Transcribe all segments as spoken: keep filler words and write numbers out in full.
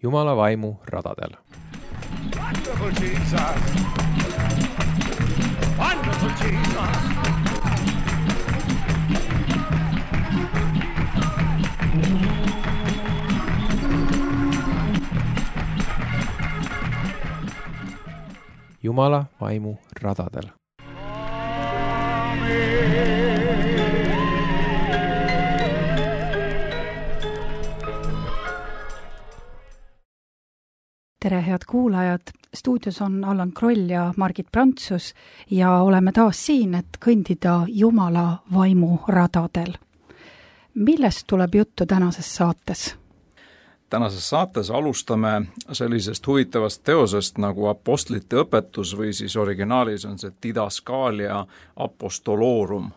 Jumala vaimu radadel. Wonderful Jesus! Wonderful Jesus! Jumala vaimu radadel. Tere, head kuulajad! Stuudios on Allan Kroll ja Margit Prantsus ja oleme taas siin, et kõndida Jumala vaimu radadel. Millest tuleb juttu tänases saates? Tänases saates alustame sellisest huvitavast teosest nagu apostlite õpetus või siis originaalis on see Didaskalia apostolorum.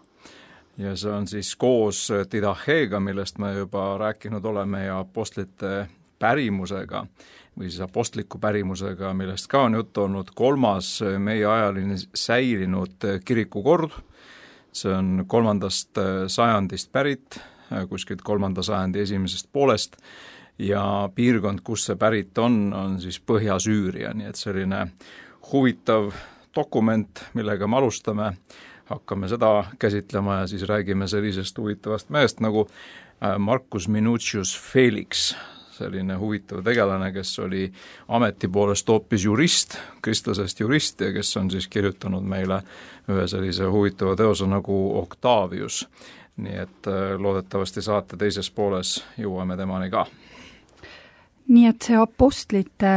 Ja see on siis koos Didacheega, millest me juba rääkinud oleme, ja apostlite pärimusega või siis apostliku pärimusega, millest ka on juttu olnud, kolmas meie ajaline säilinud kirikukord. See on kolmandast sajandist pärit, kuskilt kolmanda sajandi esimesest poolest, ja piirkond, kus see pärit on, on siis Põhja-Süüria, nii et selline huvitav dokument, millega me alustame, hakkame seda käsitlema ja siis räägime sellisest huvitavast mehest nagu Marcus Minucius Felix, selline huvitav tegelane, kes oli ameti poolest hoopis jurist, kristlasest jurist ja kes on siis kirjutanud meile ühe sellise huvitava teose nagu Octavius. Nii et loodetavasti saate teises pooles jõuame temani ka. Nii et see apostlite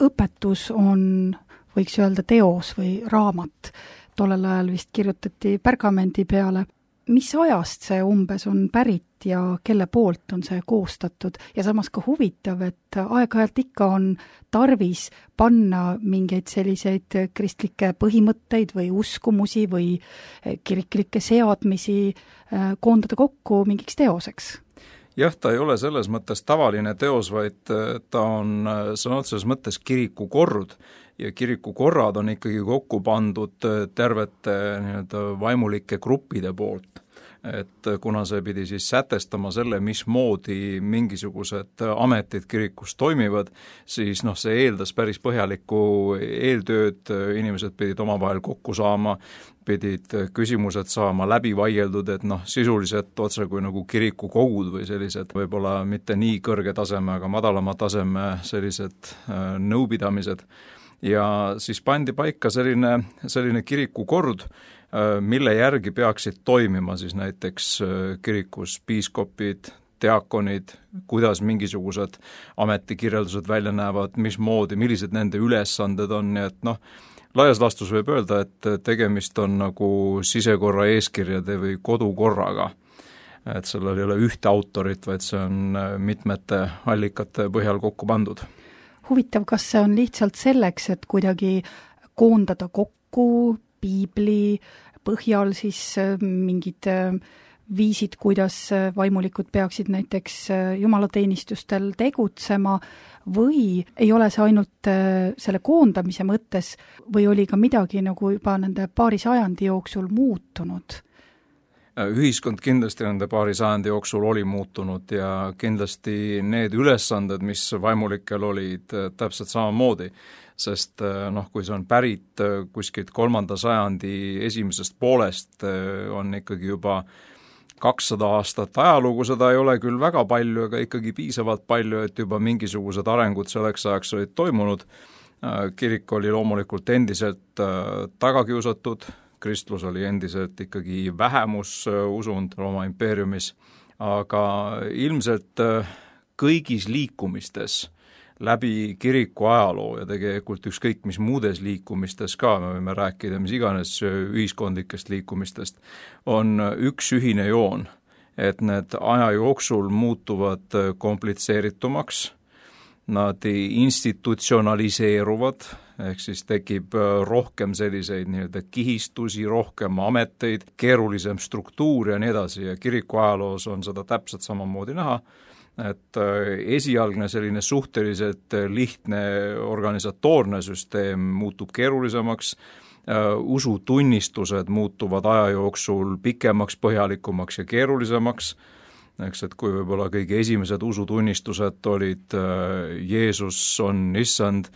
õpetus on, võiks öelda, teos või raamat. Tollel ajal vist kirjutati pergamendi peale. Mis ajast see umbes on pärit ja kelle poolt on see koostatud? Ja samas ka huvitav, et aeg-ajalt ikka on tarvis panna mingeid selliseid kristlikke põhimõtteid või uskumusi või kiriklikke seadmisi koondada kokku mingiks teoseks. Jah, ta ei ole selles mõttes tavaline teos, vaid ta on sõna otseses mõttes kirikukord ja kirikukorrad on ikkagi kokku pandud tervete nii-öelda vaimulike gruppide poolt. Et kuna see pidi siis sätestama selle, mismoodi mingisugused ametid kirikus toimivad, siis noh, see eeldas päris põhjalikku eeltööd, inimesed pidid omavahel kokku saama, pidid küsimused saama läbi vaieldud, et noh, sisuliselt otse kui nagu kirikukogud või sellised võib-olla mitte nii kõrge taseme, aga madalama taseme sellised nõupidamised. Ja siis pandi paika selline, selline kirikukord, mille järgi peaksid toimima siis näiteks kirikus piiskopid, diakonid, kuidas mingisugused ametikirjeldused välja näevad, mismoodi, millised nende ülesanded on, nii et noh, laias laastus võib öelda, et tegemist on nagu sisekorra eeskirjade või kodukorraga. Et sellel ei ole ühte autorit, vaid see on mitmete allikate põhjal kokku pandud. Huvitav, kas see on lihtsalt selleks, et kuidagi koondada kokku piibli põhjal siis mingid viisid, kuidas vaimulikud peaksid näiteks jumalateenistustel tegutsema, või ei ole see ainult selle koondamise mõttes või oli ka midagi nagu juba nende paari sajandi jooksul muutunud? Ühiskond kindlasti nende paari sajandi jooksul oli muutunud ja kindlasti need ülesanded, mis vaimulikel olid täpselt samamoodi, sest noh, kui see on pärit kuskilt kolmanda sajandi esimesest poolest, on ikkagi juba kakssada aastat ajalugu, seda ei ole küll väga palju, aga ikkagi piisavalt palju, et juba mingisugused arengud selleks ajaks olid toimunud. Kirik oli loomulikult endiselt tagakiusatud, kristlus oli endiselt ikkagi vähemususund Rooma impeeriumis, aga ilmselt kõigis liikumistes läbi kiriku ajaloo ja tegelikult ükskõik mis muudes liikumistes ka, me võime rääkida mis iganes ühiskondlikest liikumistest, on üks ühine joon, et need aja jooksul muutuvad komplitseeritumaks, nad institutsionaliseeruvad, ehk siis tekib rohkem selliseid nii-öelda kihistusi, rohkem ameteid, keerulisem struktuur ja nii edasi ja kiriku ajaloos on seda täpselt samamoodi näha, et esialgne selline suhteliselt lihtne organisatoorne süsteem muutub keerulisemaks, usutunnistused muutuvad aja jooksul pikemaks, põhjalikumaks ja keerulisemaks eks, et kui võib-olla kõige esimesed usutunnistused olid Jeesus on issand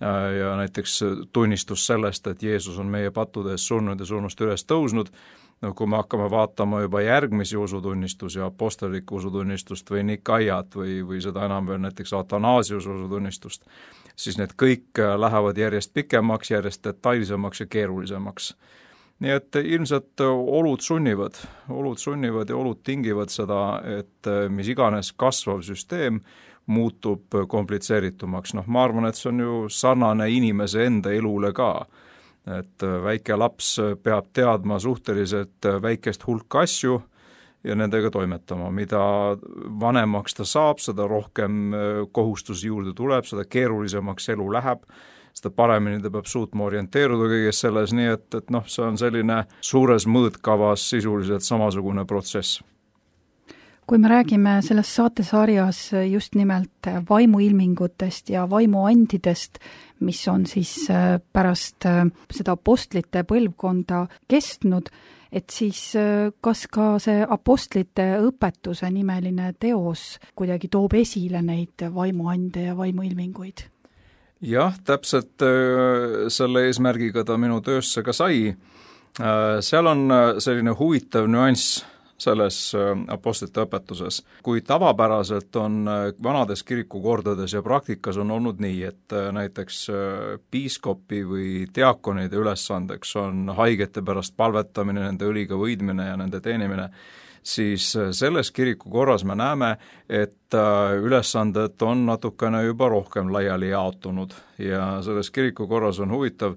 ja näiteks tunnistus sellest, et Jeesus on meie pattude eest surnud ja surnust üles tõusnud, no kui me hakkame vaatama juba järgmisi usutunnistusi, apostellikku usutunnistust või Nikaiat või, või seda enam veel näiteks Athanasiuse usutunnistust, siis need kõik lähevad järjest pikemaks, järjest detailsemaks ja keerulisemaks. Nii et ilmselt olud sunnivad, olud sunnivad ja olud tingivad seda, et mis iganes kasvav süsteem muutub komplitseeritumaks. Noh, ma arvan, et see on ju sarnane inimese enda elule ka, et väike laps peab teadma suhteliselt väikest hulka asju ja nendega toimetama. Mida vanemaks ta saab, seda rohkem kohustusi juurde tuleb, seda keerulisemaks elu läheb, seda paremini ta peab suutma orienteeruda kõiges selles, nii et, et noh, see on selline suures mõõtkavas sisuliselt samasugune protsess. Kui me räägime selles saatesarjas just nimelt vaimuilmingutest ja vaimuandidest, mis on siis pärast seda apostlite põlvkonda kestnud, et siis kas ka see apostlite õpetuse nimeline teos kuidagi toob esile neid vaimuande ja vaimuilminguid? Jah, täpselt selle eesmärgiga ta minu töösse ka sai. Seal on selline huvitav nüanss selles apostlite õpetuses. Kui tavapäraselt on vanades kirikukordades ja praktikas on olnud nii, et näiteks piiskopi või diakonide ülesandeks on haigete pärast palvetamine, nende õliga võidmine ja nende teenimine, siis selles kirikukorras me näeme, et ülesanded on natukene juba rohkem laiali jaotunud ja selles kirikukorras on huvitav,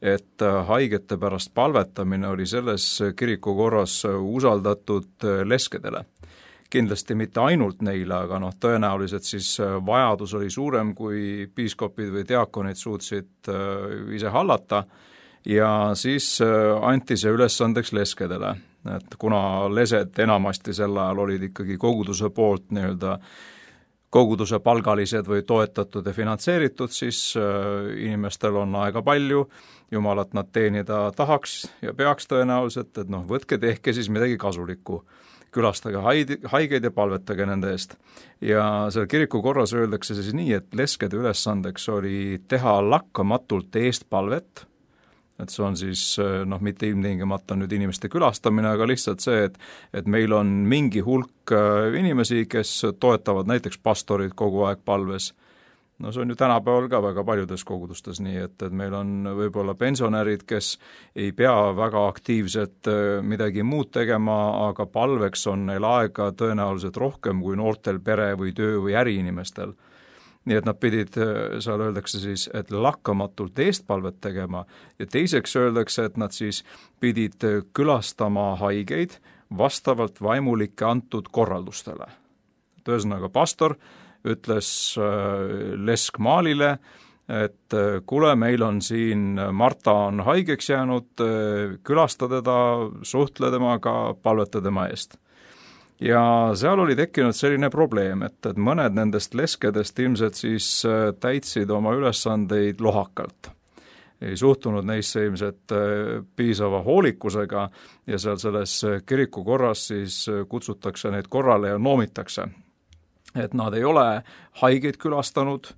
et haigete pärast palvetamine oli selles kirikukorras usaldatud leskedele. Kindlasti mitte ainult neile, aga noh, tõenäoliselt siis vajadus oli suurem, kui piiskopid või diakonid suutsid ise hallata ja siis anti see ülesandeks leskedele. Et kuna lesed enamasti sel ajal olid ikkagi koguduse poolt nii-öelda koguduse palgalised või toetatud ja finantseeritud, siis inimestel on aega palju, jumalat nad teenida tahaks ja peaks tõenäoliselt, et noh, võtke, tehke siis midagi kasulikku. Külastage haigeid ja palvetage nende eest. Ja seal kirikukorras öeldakse siis nii, et leskede ülesandeks oli teha lakkamatult eest palvet, et see on siis noh, mitte ilmtingimata nüüd inimeste külastamine, aga lihtsalt see, et, et meil on mingi hulk inimesi, kes toetavad näiteks pastorid kogu aeg palves. No see on ju tänapäeval ka väga paljudes kogudustes nii, et, et meil on võib-olla pensionärid, kes ei pea väga aktiivselt midagi muud tegema, aga palveks on neil aega tõenäoliselt rohkem kui noortel pere või töö või äriinimestel. Nii et nad pidid, seal öeldakse siis, et lakkamatult eestpalvet tegema ja teiseks öeldakse, et nad siis pidid külastama haigeid vastavalt vaimulike antud korraldustele. Ühesõnaga pastor ütles leskmaalile, et kuule, meil on siin, Marta on haigeks jäänud, külasta teda, suhtle temaga, palveta tema eest. Ja seal oli tekkinud selline probleem, et, et mõned nendest leskedest ilmselt siis täitsid oma ülesandeid lohakalt. Ei suhtunud neisse ilmselt piisava hoolikusega ja seal selles kirikukorras siis kutsutakse neid korrale ja noomitakse. Et nad ei ole haigeid külastanud,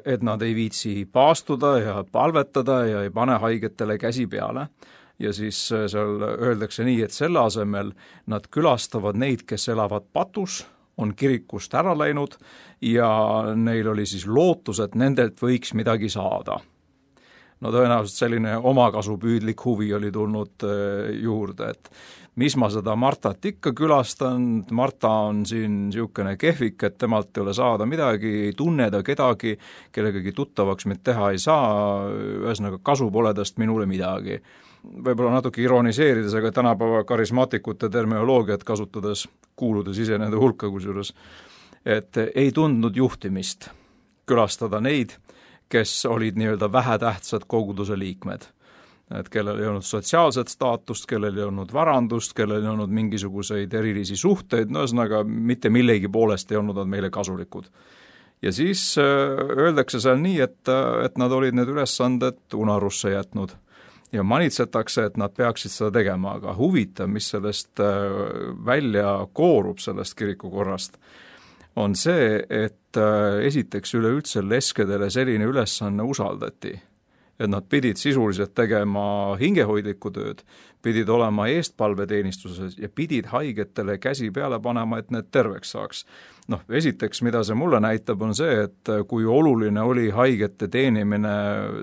et nad ei viitsi paastuda ja palvetada ja ei pane haigetele käsi peale. Ja siis seal öeldakse nii, et selle asemel nad külastavad neid, kes elavad patus, on kirikust ära läinud ja neil oli siis lootus, et nendelt võiks midagi saada. No tõenäoliselt selline omakasupüüdlik huvi oli tulnud juurde, et mis ma seda Martat ikka külastan, Marta on siin niisugune kehvik, et temalt ei ole saada midagi, ei tunne ta kedagi, kellegagi tuttavaks mind teha ei saa, ühesõnaga kasu pole tast minule midagi. Võib-olla natuke ironiseerides, aga tänapäeva karismaatikute terminoloogiat kasutades, kuuludes ise nende hulka kusjuures, et ei tundnud juhtimist külastada neid, kes olid nii-öelda vähetähtsad koguduse liikmed. Et kellel ei olnud sotsiaalset staatust, kellel ei olnud varandust, kellel ei olnud mingisuguseid erilisi suhteid, no ühesõnaga mitte millegi poolest ei olnud nad meile kasulikud. Ja siis öeldakse seal nii, et, et nad olid need ülesanded unarusse jätnud. ja manitsetakse, et nad peaksid seda tegema, aga huvitav, mis sellest välja koorub, sellest kirikukorrast, on see, et esiteks üleüldse leskedele selline ülesanne usaldati, et nad pidid sisuliselt tegema hingehoidlikku tööd, pidid olema eestpalveteenistuses ja pidid haigetele käsi peale panema, et need terveks saaks. Noh, esiteks, mida see mulle näitab, on see, et kui oluline oli haigete teenimine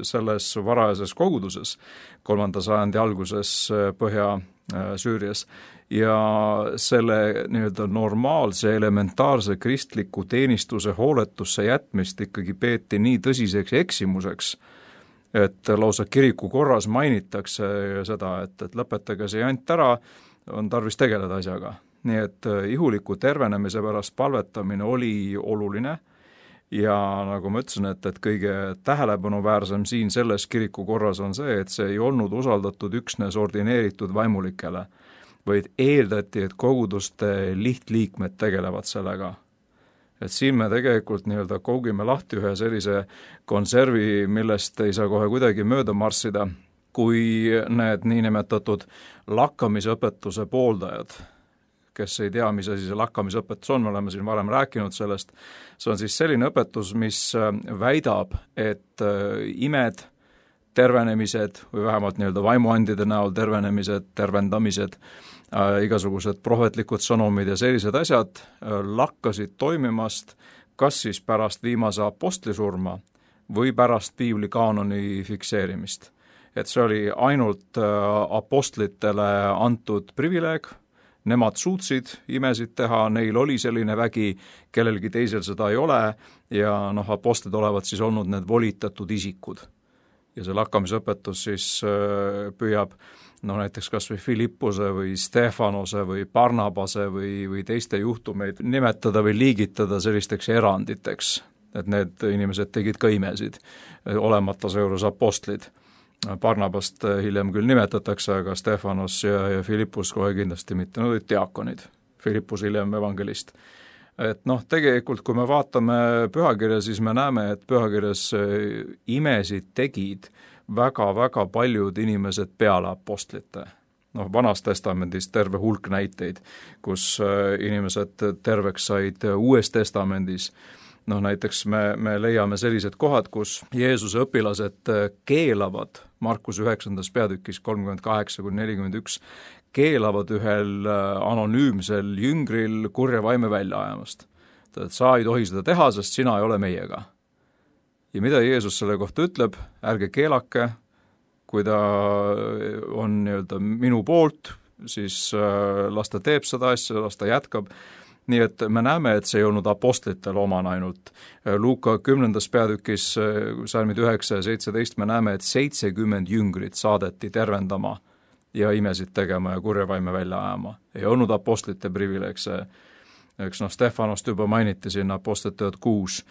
selles varajases koguduses, kolmanda sajandi alguses Põhja-Süürias, ja selle nii-öelda normaalse, elementaarse kristliku teenistuse hooletusse jätmist ikkagi peeti nii tõsiseks eksimuseks, et lausa kiriku korras mainitakse seda, et, et lõpetage see jant ära, on tarvis tegeleda asjaga. Nii et ihuliku tervenemise pärast palvetamine oli oluline ja nagu ma ütlesin, et, et kõige tähelepanuväärsem siin selles kiriku korras on see, et see ei olnud usaldatud üksnes ordineeritud vaimulikele, vaid eeldati, et koguduste lihtliikmed tegelevad sellega. Et siin me tegelikult nii-öelda kougime lahti ühe sellise konservi, millest ei saa kohe kuidagi mööda marssida, kui need niinimetatud lakkamisõpetuse pooldajad, kes ei tea, mis asi see lakkamisõpetus on, me oleme siin varem rääkinud sellest, see on siis selline õpetus, mis väidab, et imed, tervenemised või vähemalt nii-öelda vaimuandide näol tervenemised, tervendamised, äh, igasugused prohvetlikud sõnumid ja sellised asjad äh, lakkasid toimimast kas siis pärast viimase apostli surma või pärast piibli kaanoni fikseerimist. Et see oli ainult äh, apostlitele antud privileeg, nemad suutsid imesid teha, neil oli selline vägi, kellelgi teisel seda ei ole ja noh, apostlid olevat siis olnud need volitatud isikud. Ja see lakkamisõpetus siis püüab no näiteks kas või Filippuse või Stefanose või Barnabase või, või teiste juhtumeid nimetada või liigitada sellisteks eranditeks, et need inimesed tegid ka imesid, olemata seejuures apostlid. Barnabast hiljem küll nimetatakse, aga Stefanos ja, ja Filippus kohe kindlasti mitte, nad olid diakonid, Filippus hiljem evangelist. Et noh, tegelikult kui me vaatame pühakirja, siis me näeme, et pühakirjas imesid tegid väga-väga paljud inimesed peale apostlite. Noh, Vanas testamendis terve hulk näiteid, kus inimesed terveks said Uues testamendis. Noh, näiteks me, me leiame sellised kohad, kus Jeesuse õpilased keelavad Markus üheksandas peatükis kolmkümmend kaheksa kuni nelikümmend üks keelavad ühel anonüümsel jüngril kurja vaime välja ajamast. Et sa ei tohi seda teha, sest sina ei ole meiega. Ja mida Jeesus selle kohta ütleb, ärge keelake, kui ta on nii-öelda minu poolt, siis las ta teeb seda asja, las ta jätkab. Nii et me näeme, et see ei olnud apostlitel oman ainult. Luuka kümnendas peatükis, salmid üheksa ja seitseteist, me näeme, et seitsekümmend jüngrit saadeti tervendama ja imesid tegema ja kurja vaime välja ajama. Ei olnud apostlite privileeg see, eks noh, Stefanost juba mainiti siin apostlite teod kuus,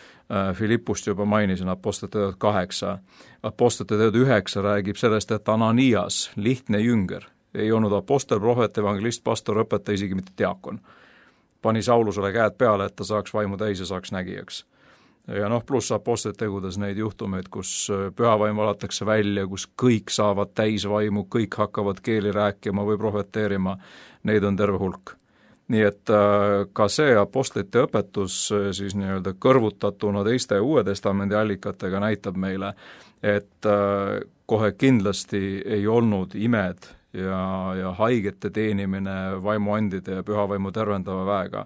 Filippust juba mainisin apostlite teod kaheksa, apostlite teod üheksa räägib sellest, et Ananias, lihtne jünger, ei olnud apostel, prohvet, evangelist, pastor, õpetaja, isegi mitte diakon. Pani Saulusele käed peale, et ta saaks vaimu täis ja saaks nägijaks. Ja noh, pluss apostlite tegudes neid juhtumeid, kus pühavaim valatakse välja, kus kõik saavad täis vaimu, kõik hakkavad keeli rääkima või prohveteerima, neid on terve hulk. Nii et ka see apostlite õpetus siis nii-öelda kõrvutatuna teiste Uue Testamendi allikatega näitab meile, et kohe kindlasti ei olnud imed ja, ja haigete teenimine vaimuandide ja pühavaimu tervendava väega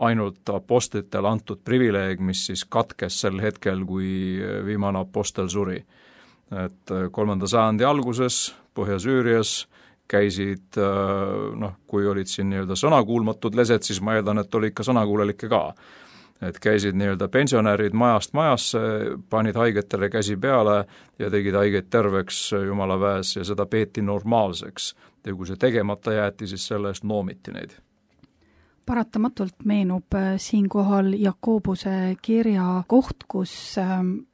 ainult apostlitele antud privileeg, mis siis katkes sel hetkel, kui viimane apostel suri. Et kolmanda sajandi alguses Põhja-Süürias käisid, noh, kui olid siin nii-öelda sõnakuulmatud lesed, siis ma eeldan, et oli ikka sõnakuulelikke ka. Et käisid nii-öelda pensionärid majast majasse, panid haigetele käsi peale ja tegid haigeid terveks Jumala väes ja seda peeti normaalseks. Ja kui see tegemata jäeti, siis selle eest noomiti neid. Paratamatult meenub siinkohal Jakobuse kirja koht, kus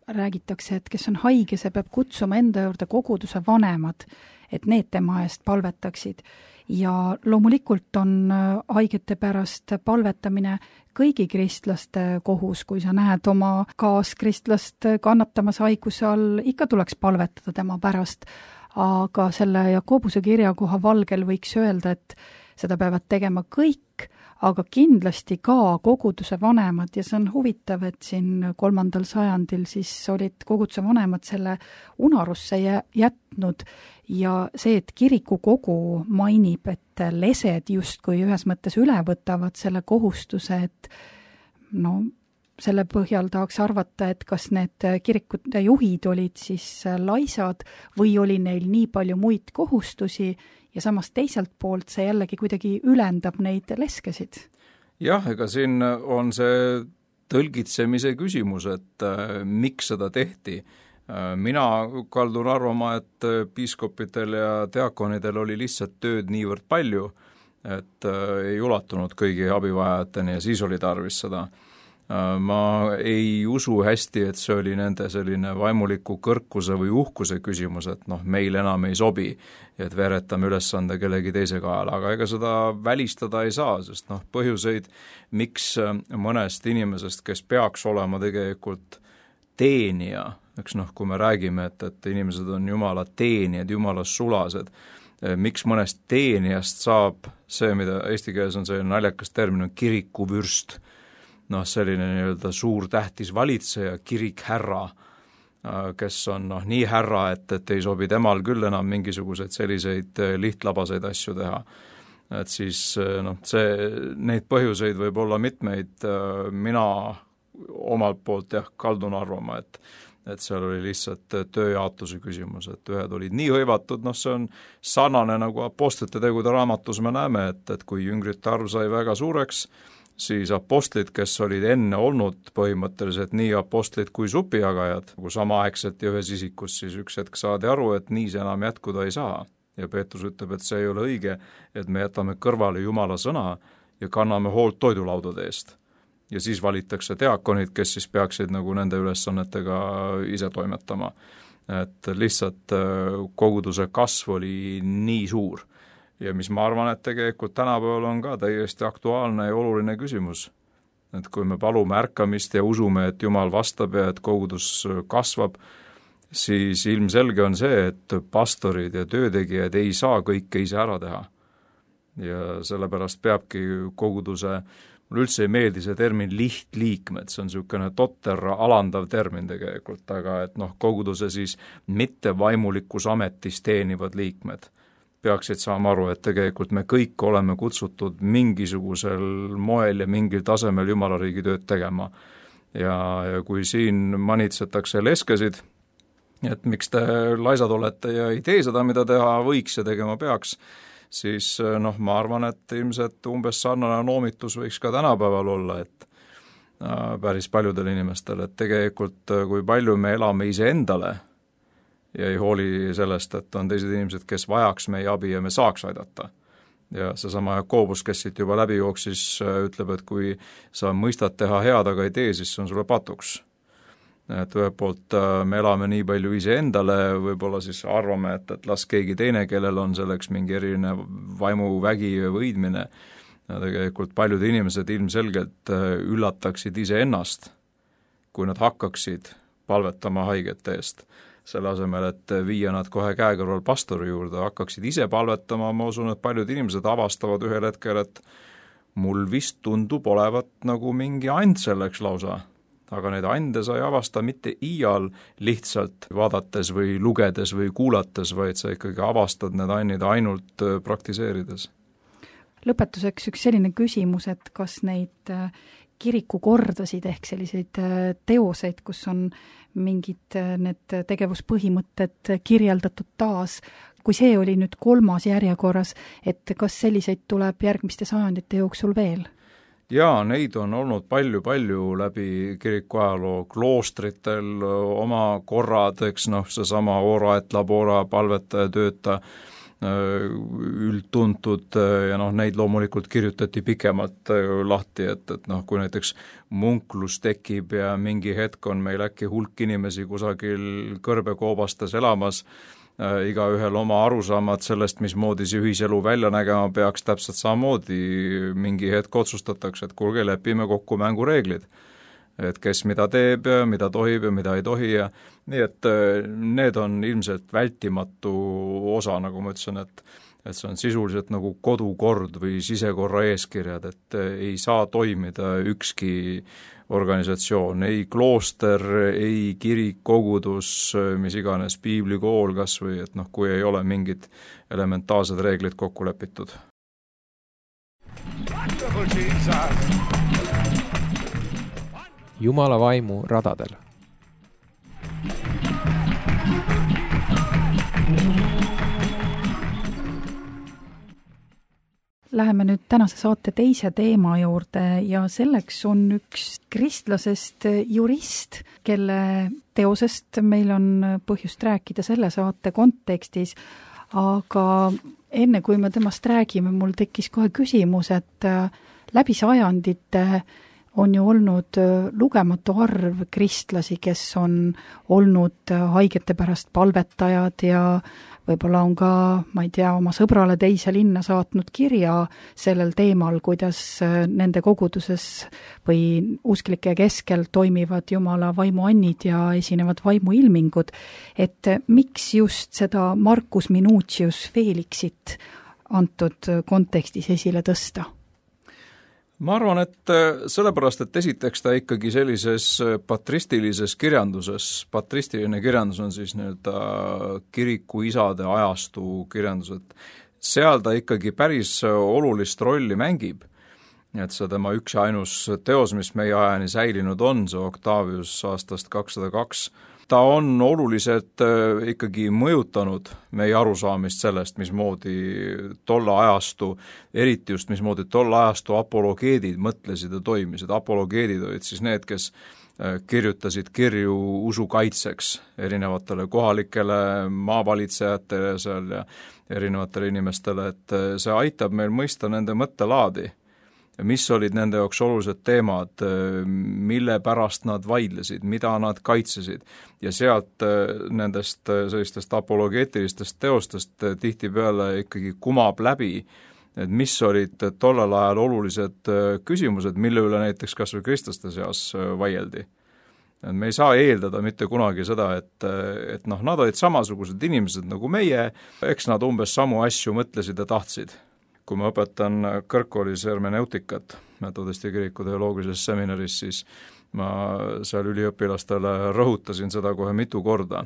räägitakse, et kes on haige, see peab kutsuma enda juurde koguduse vanemad, et need tema eest palvetaksid. Ja loomulikult on haigete pärast palvetamine kõigi kristlaste kohus, kui sa näed oma kaaskristlast kannatamas haiguse all, ikka tuleks palvetada tema pärast. aga selle Jakobuse kirja koha valgel võiks öelda, et seda peavad tegema kõik, aga kindlasti ka koguduse vanemad ja see on huvitav, et siin kolmandal sajandil siis olid koguduse vanemad selle unarusse jätnud ja see, et kirikukogu mainib, et lesed justkui ühes mõttes üle võtavad selle kohustuse, et no selle põhjal tahaks arvata, et kas need kirikute juhid olid siis laisad või oli neil nii palju muid kohustusi ja samas teiselt poolt see jällegi kuidagi ülendab neid leskesid. Jah, ega siin on see tõlgitsemise küsimus, et äh, miks seda tehti. Äh, mina kaldun arvama, et piiskopidel ja diakonidel oli lihtsalt tööd niivõrd palju, et äh, ei ulatunud kõigi abivajajateni ja siis oli tarvis seda. Ma ei usu hästi, et see oli nende selline vaimuliku kõrkuse või uhkuse küsimus, et noh, meil enam ei sobi, et veeretame ülesande kellegi teise kaela, aga ega seda välistada ei saa, sest noh, põhjuseid, miks mõnest inimesest, kes peaks olema tegelikult teenija, eks noh, kui me räägime, et, et inimesed on Jumala teenijad, Jumala sulased, miks mõnest teenijast saab see, mida eesti keeles on selline naljakas termin, on kirikuvürst, noh, selline nii-öelda suur tähtis valitseja, kirikhärra, kes on noh, nii härra, et, et ei sobi temal küll enam mingisuguseid selliseid lihtlabaseid asju teha. Et siis noh, see, neid põhjuseid võib olla mitmeid, mina omalt poolt jah, kaldun arvama, et et seal oli lihtsalt tööjaotuse küsimus, et ühed olid nii hõivatud, noh see on sarnane nagu apostlite tegude raamatus me näeme, et, et kui jüngrite arv sai väga suureks, siis apostlid, kes olid enne olnud põhimõtteliselt nii apostlid kui supijagajad, kui samaaegselt ja ühes isikus, siis üks hetk saadi aru, et nii see enam jätkuda ei saa. Ja Peetrus ütleb, et see ei ole õige, et me jätame kõrvale Jumala sõna ja kanname hoolt toidulaudade eest. Ja siis valitakse diakonid, kes siis peaksid nagu nende ülesannetega ise toimetama. Et lihtsalt koguduse kasv oli nii suur. Ja mis ma arvan, et tegelikult tänapäeval on ka täiesti aktuaalne ja oluline küsimus. Et kui me palume ärkamist ja usume, et Jumal vastab ja et kogudus kasvab, siis ilmselge on see, et pastorid ja töötegijad ei saa kõike ise ära teha. Ja sellepärast peabki koguduse, mulle üldse ei meeldi see termin lihtliikmed, see on niisugune totter alandav termin tegelikult, aga et noh, koguduse siis mitte vaimulikus ametis teenivad liikmed peaksid saama aru, et tegelikult me kõik oleme kutsutud mingisugusel moel ja mingil tasemel Jumala riigi tööd tegema. Ja, ja kui siin manitsetakse leskesid, et miks te laisad olete ja ei tee seda, mida teha võiks ja tegema peaks, siis noh, ma arvan, et ilmselt umbes sarnane noomitus võiks ka tänapäeval olla, et äh, päris paljudel inimestel, et tegelikult kui palju me elame iseendale, ja ei hooli sellest, et on teised inimesed, kes vajaks meie abi ja me saaks aidata. Ja seesama Jakobus, kes siit juba läbi jooksis, ütleb, et kui sa mõistad teha head, aga ei tee, siis see on sulle patuks. Et ühelt poolt me elame nii palju iseendale, võib-olla siis arvame, et, et las keegi teine, kellel on selleks mingi eriline vaimuvägi võidmine. Ja tegelikult paljud inimesed ilmselgelt üllataksid iseennast, kui nad hakkaksid palvetama haigete eest. Selle asemel, et viia nad kohe käekõrval pastori juurde, hakkaksid ise palvetama, ma usun, et paljud inimesed avastavad ühel hetkel, et mul vist tundub olevat nagu mingi and selleks lausa, aga neid ande sa ei avasta mitte iial lihtsalt vaadates või lugedes või kuulates, vaid sa ikkagi avastad need annid ainult praktiseerides. Lõpetuseks üks selline küsimus, et kas neid kirikukordasid ehk selliseid teoseid, kus on mingid need tegevuspõhimõtted kirjeldatud taas, kui see oli nüüd kolmas järjekorras, et kas selliseid tuleb järgmiste sajandite jooksul veel? Jaa, neid on olnud palju-palju läbi kiriku ajaloo, kloostritel oma korrad, eks noh, seesama ora et labora, palvetaja, tööta, üldtuntud ja noh, neid loomulikult kirjutati pikemalt lahti, et, et noh, kui näiteks munklus tekib ja mingi hetk on meil äkki hulk inimesi kusagil kõrbekoobastes elamas, äh, igaühel oma arusaamad sellest, mismoodi see ühiselu välja nägema peaks, täpselt samamoodi mingi hetk otsustatakse, et kuulge, lepime kokku mängureeglid. et kes mida teeb ja mida tohib ja mida ei tohi ja nii et need on ilmselt vältimatu osa, nagu ma ütlesin, et et see on sisuliselt nagu kodukord või sisekorra eeskirjad, et ei saa toimida ükski organisatsioon, ei klooster, ei kirik, kogudus, mis iganes, piiblikool kas või, et noh, kui ei ole mingid elementaarsed reeglid kokku lepitud. Jumala vaimu radadel. Läheme nüüd tänase saate teise teema juurde ja selleks on üks kristlasest jurist, kelle teosest meil on põhjust rääkida selle saate kontekstis, aga enne kui me temast räägime, mul tekkis kohe küsimus, et läbi sajandite on ju olnud lugematu arv kristlasi, kes on olnud haigete pärast palvetajad ja võib-olla on ka, ma ei tea, oma sõbrale teise linna saatnud kirja sellel teemal, kuidas nende koguduses või usklike keskel toimivad Jumala vaimuannid ja esinevad vaimuilmingud. Et miks just seda Marcus Minucius Felixit antud kontekstis esile tõsta? Ma arvan, et sellepärast, et esiteks ta ikkagi sellises patristilises kirjanduses, patristiline kirjandus on siis nii-öelda kiriku isade ajastu kirjandus, et seal ta ikkagi päris olulist rolli mängib. Et see tema üks ja ainus teos, mis meie ajani säilinud on, see Octavius aastast kakssada kaks, ta on oluliselt ikkagi mõjutanud meie arusaamist sellest, mismoodi tolle ajastu, eriti just mismoodi tolle ajastu apologeedid mõtlesid ja toimisid. Apologeedid olid siis need, kes kirjutasid kirju usu kaitseks erinevatele kohalikele maavalitsejatele seal ja erinevatele inimestele, et see aitab meil mõista nende mõttelaadi. Mis olid nende jaoks olulised teemad, mille pärast nad vaidlesid, mida nad kaitsesid ja sealt nendest sellistest apologeetilistest teostest tihtipeale ikkagi kumab läbi, et mis olid tollel ajal olulised küsimused, mille üle näiteks kas või kristlaste seas vaieldi. Et me ei saa eeldada mitte kunagi seda, et, et noh, nad olid samasugused inimesed nagu meie, eks nad umbes samu asju mõtlesid ja tahtsid. Kui ma õpetan kõrgkoolis hermeneutikat metodisti kiriku teoloogilises seminaris, siis ma seal üliõpilastele rõhutasin seda kohe mitu korda,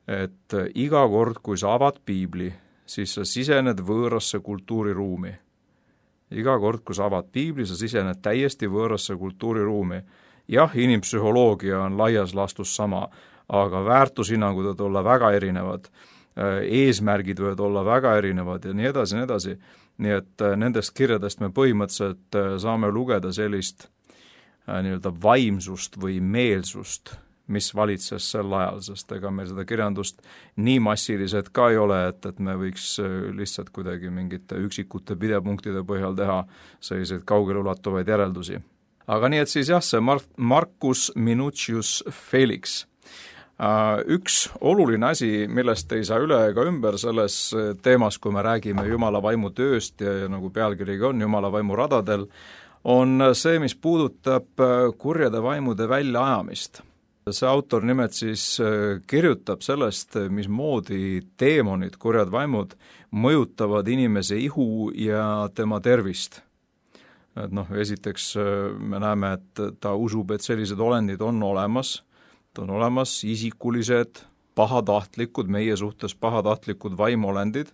et iga kord, kui sa avad piibli, siis sa sisened võõrasse kultuuriruumi. Iga kord, kui sa avad piibli, sa sisened täiesti võõrasse kultuuriruumi. Jah, inimpsühholoogia on laias laastus sama, aga väärtushinnangud võivad olla väga erinevad, eesmärgid võivad olla väga erinevad ja nii edasi, nii edasi. Nii et nendest kirjadest me põhimõtteliselt saame lugeda sellist nii-öelda vaimsust või meelsust, mis valitses sel ajal, sest ega meil seda kirjandust nii massiliselt ka ei ole, et, et me võiks lihtsalt kuidagi mingite üksikute pidepunktide põhjal teha selliseid kaugeleulatuvaid järeldusi. Aga nii et siis jah, see Mar- Marcus Minucius Felix. Üks oluline asi, millest ei saa üle ega ümber selles teemas, kui me räägime Jumala vaimu tööst ja, ja nagu pealkirigi on Jumala vaimu radadel, on see, mis puudutab kurjade vaimude väljaajamist. See autor nimelt siis kirjutab sellest, mismoodi teemonid, kurjad vaimud, mõjutavad inimese ihu ja tema tervist. Et noh, esiteks me näeme, et ta usub, et sellised olendid on olemas, ta on olemas isikulised, pahatahtlikud, meie suhtes pahatahtlikud vaimolendid,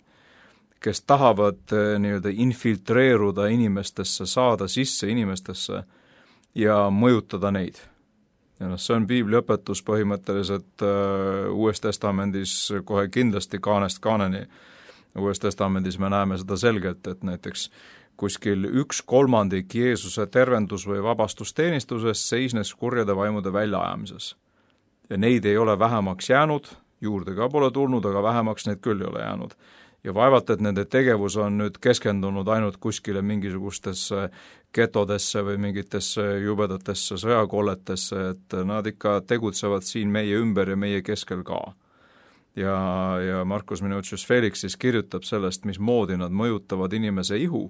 kes tahavad nii-öelda infiltreeruda inimestesse, saada sisse inimestesse ja mõjutada neid. Ja noh, see on piibli õpetus põhimõtteliselt uh, Uues Testamendis kohe kindlasti kaanest kaaneni. Uues Testamendis me näeme seda selgelt, et näiteks kuskil üks kolmandik Jeesuse tervendus- või vabastusteenistusest seisnes kurjade vaimude väljaajamises. Ja neid ei ole vähemaks jäänud, juurde ka pole tulnud, aga vähemaks neid küll ei ole jäänud. Ja vaevalt, et nende tegevus on nüüd keskendunud ainult kuskile mingisugustesse getodesse või mingitesse jubedatesse sõjakolletesse, et nad ikka tegutsevad siin meie ümber ja meie keskel ka. Ja, ja Marcus Minucius Felix siis kirjutab sellest, mismoodi nad mõjutavad inimese ihu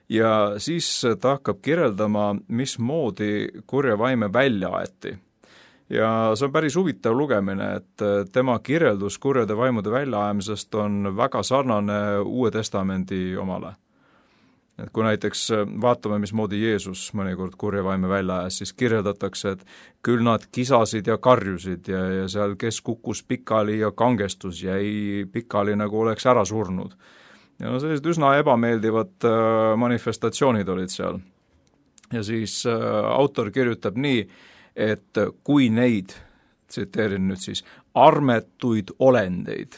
ja siis ta hakkab kirjeldama, mismoodi kurja vaime välja aeti. Ja see on päris huvitav lugemine, et tema kirjeldus kurjade vaimude väljaajamisest on väga sarnane Uue Testamendi omale. Et kui näiteks vaatame, mismoodi Jeesus mõnikord kurja vaime välja ajas, siis kirjeldatakse, et küll nad kisasid ja karjusid ja, ja seal kes kukkus pikali ja kangestus jäi pikali, nagu oleks ära surnud. Ja no sellised üsna ebameeldivad manifestatsioonid olid seal. Ja siis autor kirjutab nii, et kui neid, tsiteerin nüüd siis, armetuid olendeid,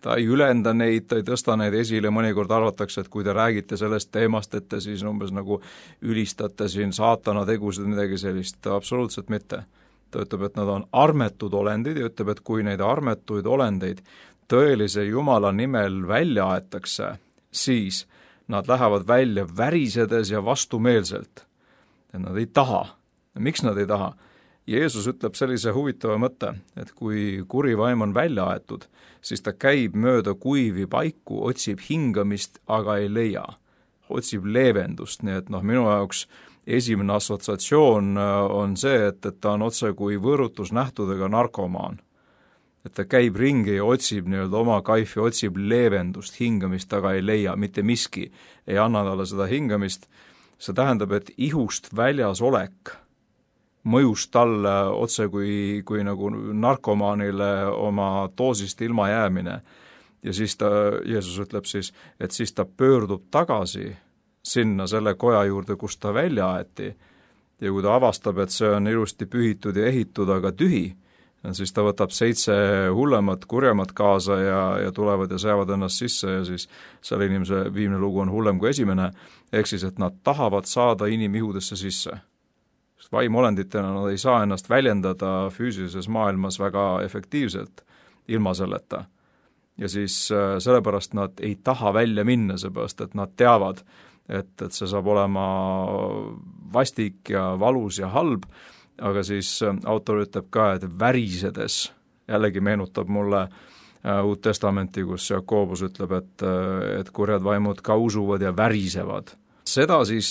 ta ei ülenda neid, ta ei tõsta neid esile, mõnikord arvatakse, et kui te räägite sellest teemast, et te siis umbes nagu ülistate siin saatana tegusid, midagi sellist, absoluutselt mitte. Ta ütleb, et nad on armetud olendid ja ütleb, et kui neid armetuid olendeid tõelise Jumala nimel välja aetakse, siis nad lähevad välja värisedes ja vastumeelselt. Ja nad ei taha. Miks nad ei taha? Jeesus ütleb sellise huvitava mõtte, et kui kuri vaim on välja aetud, siis ta käib mööda kuivi paiku, otsib hingamist, aga ei leia. Otsib leevendust, nii et noh, minu jaoks esimene assotsiatsioon on see, et, et ta on otse kui võõrutusnähtudega narkomaan. Et ta käib ringi ja otsib nii-öelda oma kaifi, otsib leevendust, hingamist, aga ei leia, mitte miski ei anna talle seda hingamist. See tähendab, et ihust väljas olek mõjus talle otse kui, kui nagu narkomaanile oma doosist ilma jäämine. Ja siis ta, Jeesus ütleb siis, et siis ta pöördub tagasi sinna selle koja juurde, kus ta välja aeti. Ja kui ta avastab, et see on ilusti pühitud ja ehitud, aga tühi, siis ta võtab seitse hullemat, kurjemat kaasa ja, ja tulevad ja seavad ennast sisse ja siis selle inimese viimne lugu on hullem kui esimene, ehk siis, et nad tahavad saada inimihudesse sisse. Vaimolenditena nad ei saa ennast väljendada füüsilises maailmas väga efektiivselt ilma selleta. Ja siis sellepärast nad ei taha välja minna, seepärast, et nad teavad, et, et see saab olema vastik ja valus ja halb, aga siis autor ütleb ka, et värisedes, jällegi meenutab mulle Uut Testamenti, kus Jakobus ütleb, et, et kurjad vaimud ka usuvad ja värisevad. Seda siis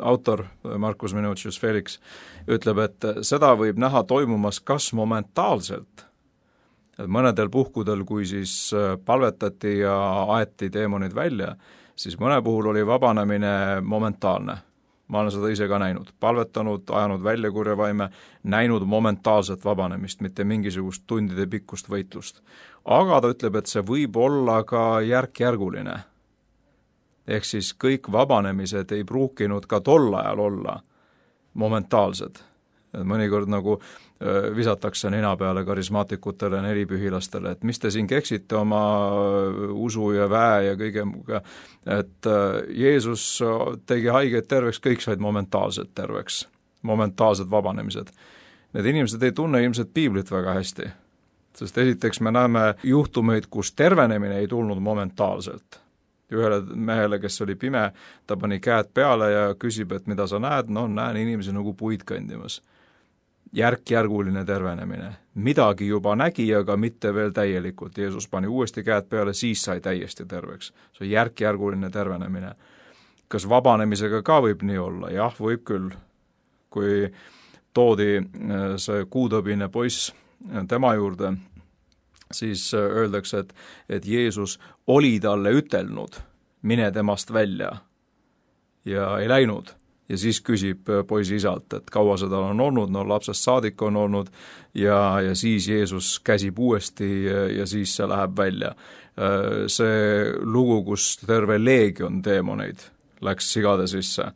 autor Markus Minucius Felix ütleb, et seda võib näha toimumas kas momentaalselt, et mõnedel puhkudel, kui siis palvetati ja aeti teemonid välja, siis mõne puhul oli vabanemine momentaalne. Ma olen seda ise ka näinud, palvetanud, ajanud välja kurja vaime, näinud momentaalset vabanemist, mitte mingisugust tundide pikkust võitlust. Aga ta ütleb, et see võib olla ka järk-järguline. Ehk siis kõik vabanemised ei pruukinud ka tol ajal olla momentaalsed. Mõnikord nagu visatakse nina peale karismaatikutele, nelipühilastele, et mis te siin keksite oma usu ja väe ja kõige muga, et Jeesus tegi haigeid terveks, kõik said momentaalselt terveks, momentaalsed vabanemised. Need inimesed ei tunne ilmselt piiblit väga hästi, sest esiteks me näeme juhtumeid, kus tervenemine ei tulnud momentaalselt. Ühele mehele, kes oli pime, ta pani käed peale ja küsib, et mida sa näed, no näen inimesi nagu puid kõndimas. Järk-järguline tervenemine. Midagi juba nägi, aga mitte veel täielikult. Jeesus pani uuesti käed peale, siis sai täiesti terveks. See on järk-järguline tervenemine. Kas vabanemisega ka võib nii olla? Jah, võib küll. Kui toodi see kuutõbine poiss tema juurde, siis öeldakse, et, et Jeesus oli talle ütelnud, mine temast välja ja ei läinud. Ja siis küsib poisi isalt, et kaua seda on olnud, no lapsest saadik on olnud ja, ja siis Jeesus käsib uuesti ja, ja siis see läheb välja. See lugu, kus terve leegion teemoneid läks sigade sisse.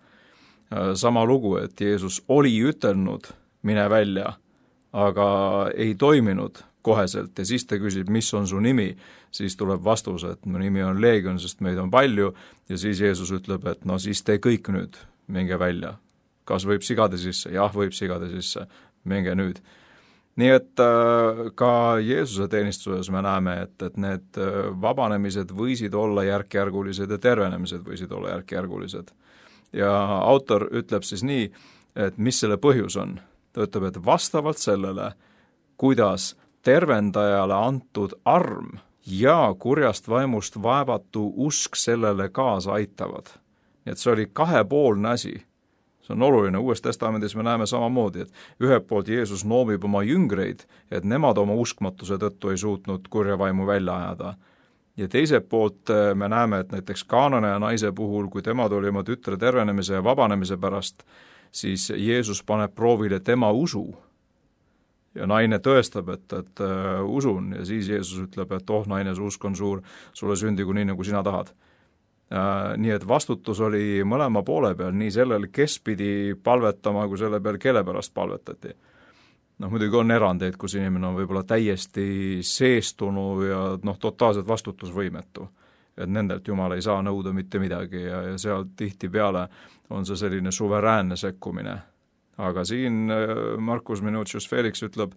Sama lugu, et Jeesus oli ütelnud, mine välja, aga ei toiminud koheselt ja siis ta küsib, mis on su nimi, siis tuleb vastus, et mu nimi on Leegion, sest meid on palju ja siis Jeesus ütleb, et no siis te kõik nüüd minge välja. Kas võib sigade sisse? Jah, võib sigade sisse. Minge nüüd. Nii et äh, ka Jeesuse teenistuses me näeme, et, et need vabanemised võisid olla järk-järgulised ja tervenemised võisid olla järk-järgulised. Ja autor ütleb siis nii, et mis selle põhjus on. Ta ütleb, et vastavalt sellele, kuidas tervendajale antud arm ja kurjast vaimust vaevatu usk sellele kaasa aitavad. nii et see oli kahepoolne asi. See on oluline, Uues Testamendis me näeme samamoodi, et ühelt poolt Jeesus noomib oma jüngreid, et nemad oma uskmatuse tõttu ei suutnud kurja vaimu välja ajada. Ja teiselt poolt me näeme, et näiteks Kaananeja naise puhul, kui tema tuli oma tütre tervenemise ja vabanemise pärast, siis Jeesus paneb proovile tema usu. Ja naine tõestab, et, et uh, usun ja siis Jeesus ütleb, et oh, naine, su usk on suur, sulle sündigu nii, nagu sina tahad. Uh, nii et vastutus oli mõlema poole peal, nii sellel, kes pidi palvetama, kui selle peal, kelle pärast palvetati. Noh, muidugi on erandeid, kus inimene on võib-olla täiesti seestunu ja noh, totaalselt vastutusvõimetu. Et nendelt Jumal ei saa nõuda mitte midagi ja, ja seal tihti peale on see selline suveräänne sekkumine. Aga siin Marcus Minucius Felix ütleb,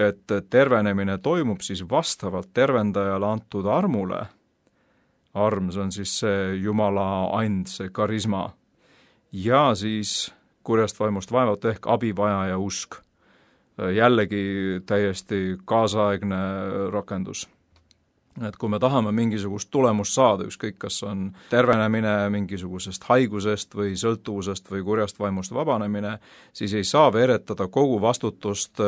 et tervenemine toimub siis vastavalt tervendajale antud armule. Arm, see on siis see Jumala and, see karisma. Ja siis kurjast vaimust vaevalt ehk abivajaja usk. Jällegi täiesti kaasaegne rakendus. Et kui me tahame mingisugust tulemust saada, ükskõik kas on tervenemine mingisugusest haigusest või sõltuvusest või kurjast vaimust vabanemine, siis ei saa veeretada kogu vastutust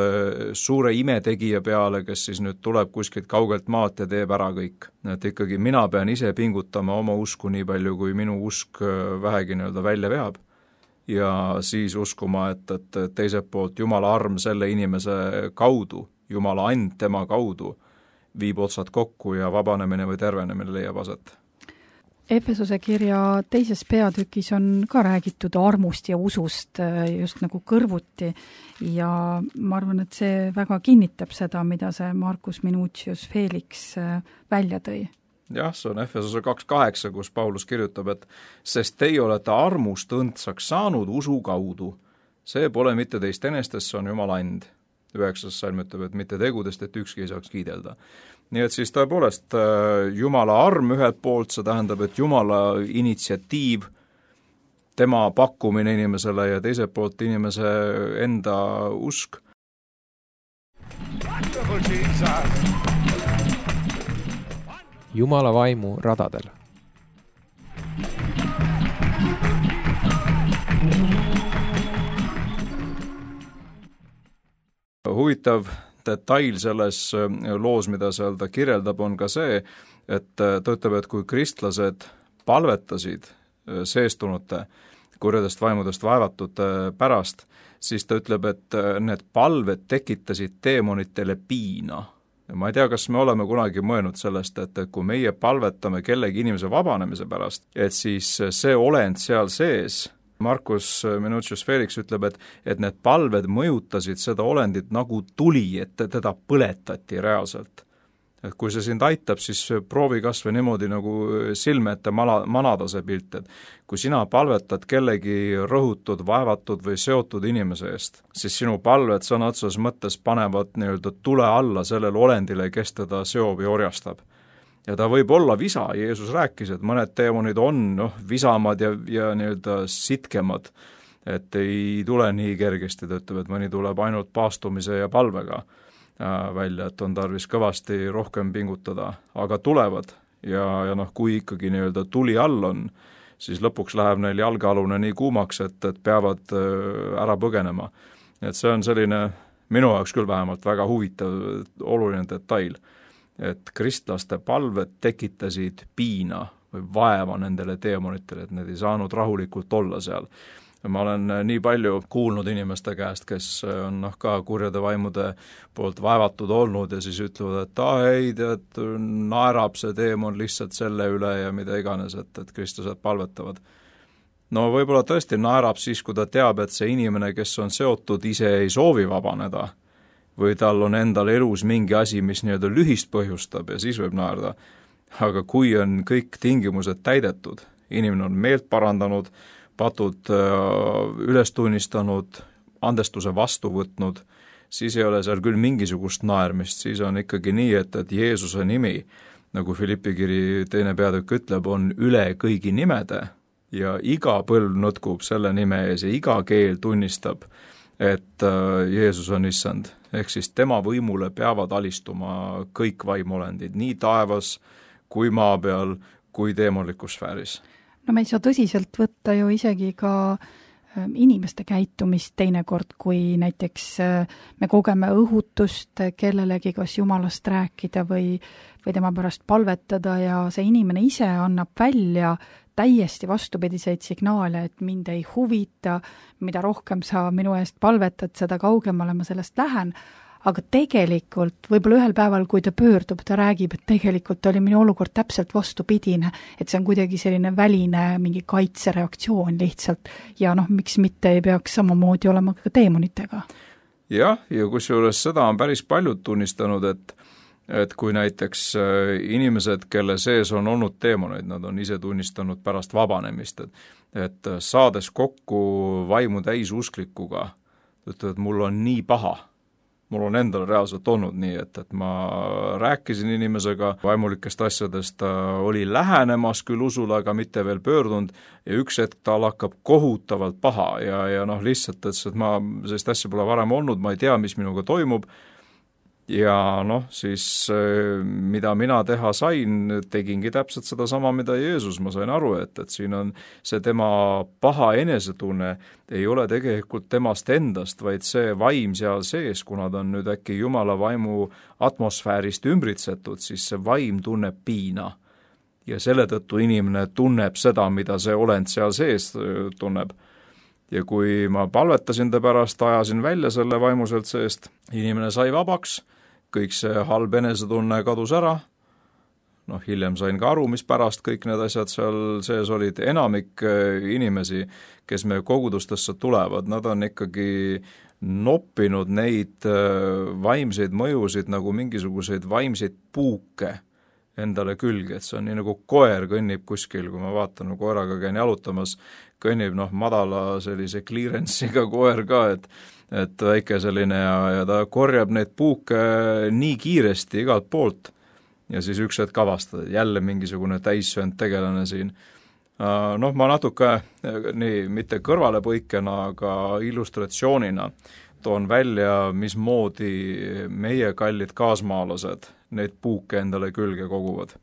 suure imetegija peale, kes siis nüüd tuleb kuskilt kaugelt maalt ja teeb ära kõik. Et ikkagi mina pean ise pingutama oma usku nii palju, kui minu usk vähegi nii-öelda välja veab. Ja siis uskuma, et, et teiselt poolt Jumala arm selle inimese kaudu, Jumala and tema kaudu, viib otsad kokku ja vabanemine või tervenemine leiab aset. Efesuse kirja teises peatükis on ka räägitud armust ja usust just nagu kõrvuti ja ma arvan, et see väga kinnitab seda, mida see Marcus Minucius Felix välja tõi. Jah, see on Efesuse kaks kaheksa, kus Paulus kirjutab, et sest teie olete armust õndsaks saanud usu kaudu. See pole mitte teist enestest, see on Jumala and. Üheksas salm ütleb, et mitte tegudest, et ükski ei saaks kiidelda. Nii et siis tõepoolest Jumala arm ühelt poolt, see tähendab, et Jumala initsiatiiv, tema pakkumine inimesele ja teiselt poolt inimese enda usk. Jumala vaimu radadel. Huvitav detail selles loos, mida seal ta kirjeldab, on ka see, et ta ütleb, et kui kristlased palvetasid seestunute kurjadest vaimudest vaevatute pärast, siis ta ütleb, et need palved tekitasid teemonitele piina. Ja ma ei tea, kas me oleme kunagi mõelnud sellest, et kui meie palvetame kellegi inimese vabanemise pärast, et siis see olend seal sees, Marcus Minucius Felix ütleb, et, et need palved mõjutasid seda olendit nagu tuli, et teda põletati reaalselt. Et kui see sind aitab, siis proovi kas või niimoodi nagu silme ette mala, manada see pilt, et kui sina palvetad kellegi rõhutud, vaevatud või seotud inimese eest, siis sinu palved sõna otseses mõttes panevad nii-öelda tule alla sellele olendile, kes teda seob ja orjastab. Ja ta võib olla visa, Jeesus rääkis, et mõned teemonid on noh, visamad ja, ja nii-öelda sitkemad, et ei tule nii kergesti, ta ütleb, et mõni tuleb ainult paastumise ja palvega välja, et on tarvis kõvasti rohkem pingutada, aga tulevad ja, ja noh, kui ikkagi nii-öelda tuli all on, siis lõpuks läheb neil jalgealune nii kuumaks, et, et peavad ära põgenema. Et see on selline, minu jaoks küll vähemalt väga huvitav, oluline detail, et kristlaste palved tekitasid piina või vaeva nendele teemonitele, et need ei saanud rahulikult olla seal. Ma olen nii palju kuulnud inimeste käest, kes on noh, ka kurjade vaimude poolt vaevatud olnud ja siis ütlevad, et ah, ei, tead, naerab see teemon lihtsalt selle üle ja mida iganes, et, et kristlased palvetavad. No võib-olla tõesti naerab siis, kui ta teab, et see inimene, kes on seotud, ise ei soovi vabaneda või tal on endal elus mingi asi, mis nii-öelda lühist põhjustab ja siis võib naerda. Aga kui on kõik tingimused täidetud, inimene on meelt parandanud, patud üles tunnistanud, andestuse vastu võtnud, siis ei ole seal küll mingisugust naermist, siis on ikkagi nii, et, et Jeesuse nimi, nagu Filippi kiri teine peatükk ütleb, on üle kõigi nimede ja iga põlv nutkub selle nime ees ja iga keel tunnistab, et Jeesus on issand. Ehk siis tema võimule peavad alistuma kõik vaimolendid, nii taevas kui maa peal, kui teemalikus sfääris. no me ei saa tõsiselt võtta ju isegi ka inimeste käitumist teinekord, kui näiteks me kogeme õhutust kellelegi kas jumalast rääkida või, või tema pärast palvetada ja see inimene ise annab välja täiesti vastupidiseid signaale, et mind ei huvita, mida rohkem sa minu eest palvetad, seda kaugemale ma sellest lähen, aga tegelikult võib-olla ühel päeval, kui ta pöördub, ta räägib, et tegelikult oli minu olukord täpselt vastupidine, et see on kuidagi selline väline mingi kaitsereaktsioon lihtsalt ja noh, miks mitte ei peaks samamoodi olema ka teemonitega. jah, ja kusjuures seda on päris paljud tunnistanud, et et kui näiteks inimesed, kelle sees on olnud teemoneid, nad on ise tunnistanud pärast vabanemist, et, et saades kokku vaimu täisusklikuga, ütlevad, et mul on nii paha, mul on endal reaalselt olnud nii, et, et ma rääkisin inimesega vaimulikest asjadest, ta oli lähenemas küll usule, aga mitte veel pöördunud ja üks hetk tal hakkab kohutavalt paha ja, ja noh, lihtsalt, et ma sellist asja pole varem olnud, ma ei tea, mis minuga toimub ja noh, siis mida mina teha sain, tegingi täpselt seda sama, mida Jeesus, ma sain aru, et, et siin on see tema paha enesetunne, ei ole tegelikult temast endast, vaid see vaim seal sees, kuna ta on nüüd äkki Jumala vaimu atmosfäärist ümbritsetud, siis see vaim tunneb piina. Ja selle tõttu inimene tunneb seda, mida see olend seal sees tunneb. Ja kui ma palvetasin ta pärast, ajasin välja selle vaimuselt seest, inimene sai vabaks, kõik see halb enesetunne kadus ära, noh, hiljem sain ka aru, mis pärast kõik need asjad seal sees olid, enamik inimesi, kes meie kogudustesse tulevad, nad on ikkagi noppinud neid vaimseid mõjusid nagu mingisuguseid vaimseid puuke endale külge, et see on nii nagu koer kõnnib kuskil, kui ma vaatan, no koeraga käin jalutamas, kõnnib noh, madala sellise clearance'iga koer ka, et et väike selline ja, ja ta korjab neid puuke nii kiiresti igalt poolt ja siis üks hetk avastada, jälle mingisugune täissöönd tegelane siin. Noh, ma natuke nii, mitte kõrvalepõikena, aga illustratsioonina toon välja, mismoodi meie kallid kaasmaalased neid puuke endale külge koguvad.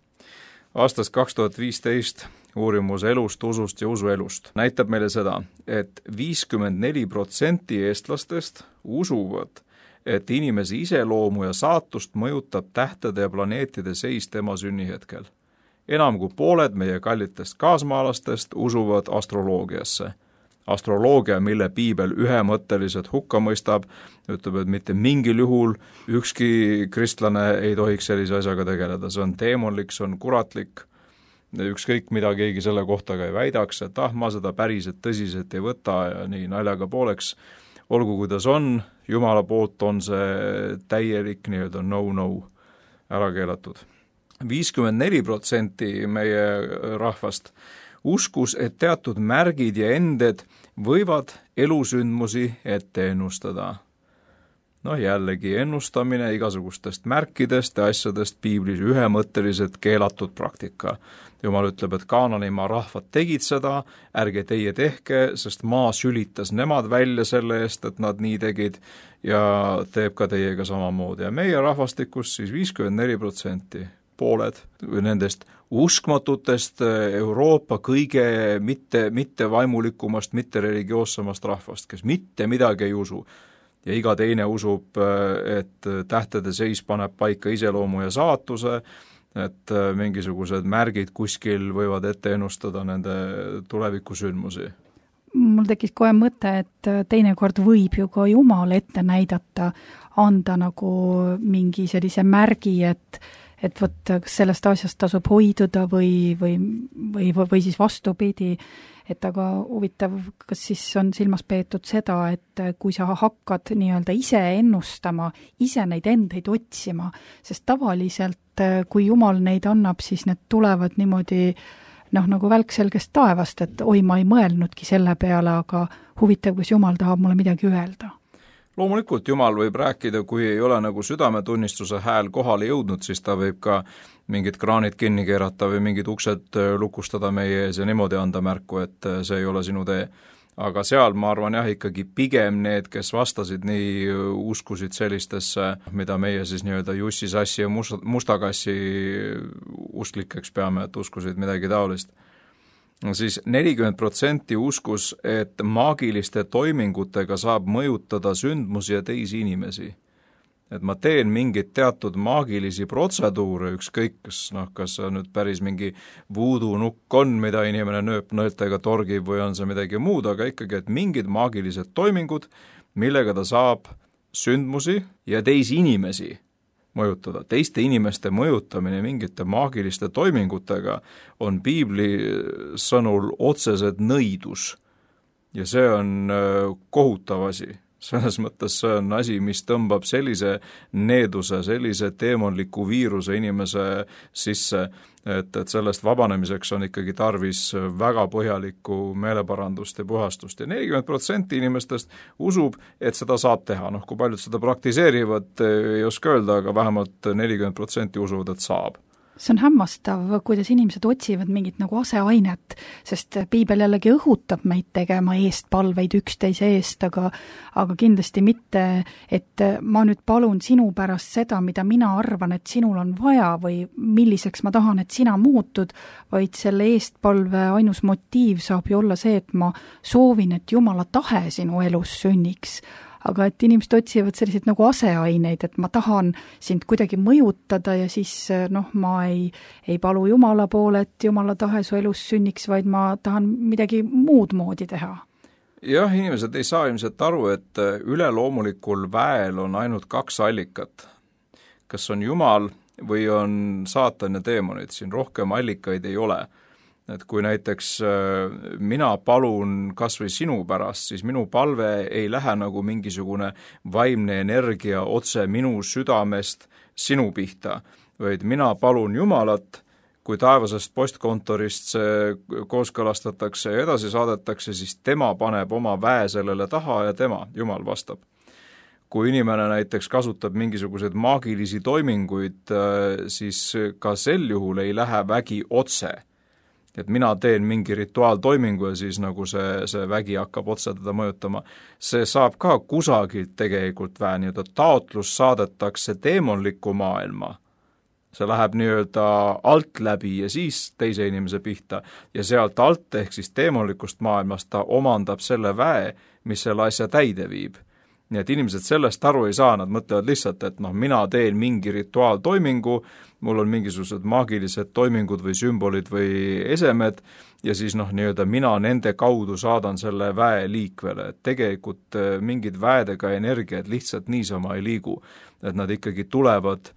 Aastast kaks tuhat viisteist uurimus elust, usust ja usuelust näitab meile seda, et viiskümmend neli protsenti eestlastest usuvad, et inimese iseloomu ja saatust mõjutab tähtede ja planeetide seis tema sünnihetkel. Enam kui pooled meie kallitest kaasmaalastest usuvad astroloogiasse. Astroloogia, mille piibel ühemõtteliselt hukka mõistab, ütleb, et mitte mingil juhul ükski kristlane ei tohiks sellise asjaga tegeleda. See on teemonlik, see on kuratlik, ükskõik mida keegi selle kohta ka ei väidaks, et ah, ma seda päriselt tõsiselt ei võta ja nii naljaga pooleks. Olgu kuidas on, Jumala poolt on see täielik nii-öelda no-no ära keelatud. viiskümmend neli protsenti meie rahvast uskus, et teatud märgid ja ended võivad elusündmusi ette ennustada. Noh, jällegi ennustamine igasugustest märkidest ja asjadest piiblis ühemõtteliselt keelatud praktika. Jumal ütleb, et Kaananimaa rahvad tegid seda, ärge teie tehke, sest maa sülitas nemad välja selle eest, et nad nii tegid ja teeb ka teiega samamoodi. Ja meie rahvastikus siis viiskümmend neli protsenti pooled nendest uskmatutest Euroopa kõige mitte, mitte vaimulikumast, mitte religioossamast rahvast, kes mitte midagi ei usu. Ja iga teine usub, et tähtede seis paneb paika iseloomu ja saatuse, et mingisugused märgid kuskil võivad ette ennustada nende tulevikusündmusi. Mul tekkis kohe mõte, et teinekord võib ju ka Jumal ette näidata, anda nagu mingi sellise märgi, et et võt, kas sellest asjast tasub hoiduda või, või, või, või siis vastupidi, et aga huvitav, kas siis on silmas peetud seda, et kui sa hakkad nii-öelda ise ennustama, ise neid endeid otsima, sest tavaliselt, kui Jumal neid annab, siis need tulevad niimoodi noh, nagu välkselgest taevast, et oi, ma ei mõelnudki selle peale, aga huvitav, kas Jumal tahab mulle midagi öelda. Loomulikult Jumal võib rääkida, kui ei ole nagu südametunnistuse hääl kohale jõudnud, siis ta võib ka mingid kraanid kinni keerata või mingid uksed lukustada meie ees ja niimoodi anda märku, et see ei ole sinu tee. Aga seal ma arvan jah, ikkagi pigem need, kes vastasid nii, uskusid sellistesse, mida meie siis nii-öelda Jussi Sassi ja Mustakassi usklikeks peame, et uskusid midagi taolist. siis nelikümmend protsenti uskus, et maagiliste toimingutega saab mõjutada sündmusi ja teisi inimesi. Et ma teen mingit teatud maagilisi protseduure, ükskõik, kas, noh, kas see on nüüd päris mingi voodoo nukk on, mida inimene nööp nõeltega torgib või on see midagi muud, aga ikkagi, et mingid maagilised toimingud, millega ta saab sündmusi ja teisi inimesi mõjutada. Teiste inimeste mõjutamine mingite maagiliste toimingutega on piibli sõnul otsesed nõidus ja see on kohutav asi. Selles mõttes see on asi, mis tõmbab sellise needuse, sellise teemonliku viiruse inimese sisse, et, et sellest vabanemiseks on ikkagi tarvis väga põhjalikku meeleparandust ja puhastust. Ja nelikümmend protsenti inimestest usub, et seda saab teha. Noh, kui paljud seda praktiseerivad, ei oska öelda, aga vähemalt nelikümmend protsenti usuvad, et saab. See on hämmastav, kuidas inimesed otsivad mingit nagu aseainet, sest piibel jällegi õhutab meid tegema eestpalveid üksteise eest, aga, aga kindlasti mitte, et ma nüüd palun sinu pärast seda, mida mina arvan, et sinul on vaja või milliseks ma tahan, et sina muutud, vaid selle eestpalve ainus motiiv saab ju olla see, et ma soovin, et Jumala tahe sinu elus sünniks. Aga et inimesed otsivad selliseid nagu aseaineid, et ma tahan sind kuidagi mõjutada ja siis noh, ma ei, ei palu Jumala poole, et Jumala tahe su elus sünniks, vaid ma tahan midagi muud moodi teha. Jah, inimesed ei saa ilmselt aru, et üleloomulikul väel on ainult kaks allikat. Kas on Jumal või on saatan ja teemonid, siin rohkem allikaid ei ole. Et kui näiteks mina palun kas või sinu pärast, siis minu palve ei lähe nagu mingisugune vaimne energia otse minu südamest sinu pihta, vaid mina palun Jumalat, kui taevasest postkontorist see kooskõlastatakse ja edasi saadetakse, siis tema paneb oma väe sellele taha ja tema, Jumal vastab. Kui inimene näiteks kasutab mingisuguseid maagilisi toiminguid, siis ka sel juhul ei lähe vägi otse. Et mina teen mingi rituaaltoimingu ja siis nagu see, see vägi hakkab otse teda mõjutama. See saab ka kusagilt tegelikult vähe nii-öelda taotlus saadetakse teemonlikku maailma. See läheb nii-öelda alt läbi ja siis teise inimese pihta ja sealt alt ehk siis teemonlikust maailmast ta omandab selle väe, mis selle asja täide viib. Nii et inimesed sellest aru ei saa, nad mõtlevad lihtsalt, et noh, mina teen mingi rituaaltoimingu, mul on mingisugused maagilised toimingud või sümbolid või esemed ja siis noh, nii-öelda mina nende kaudu saadan selle väe liikvele, et tegelikult mingid väedega energiat lihtsalt niisama ei liigu, et nad ikkagi tulevad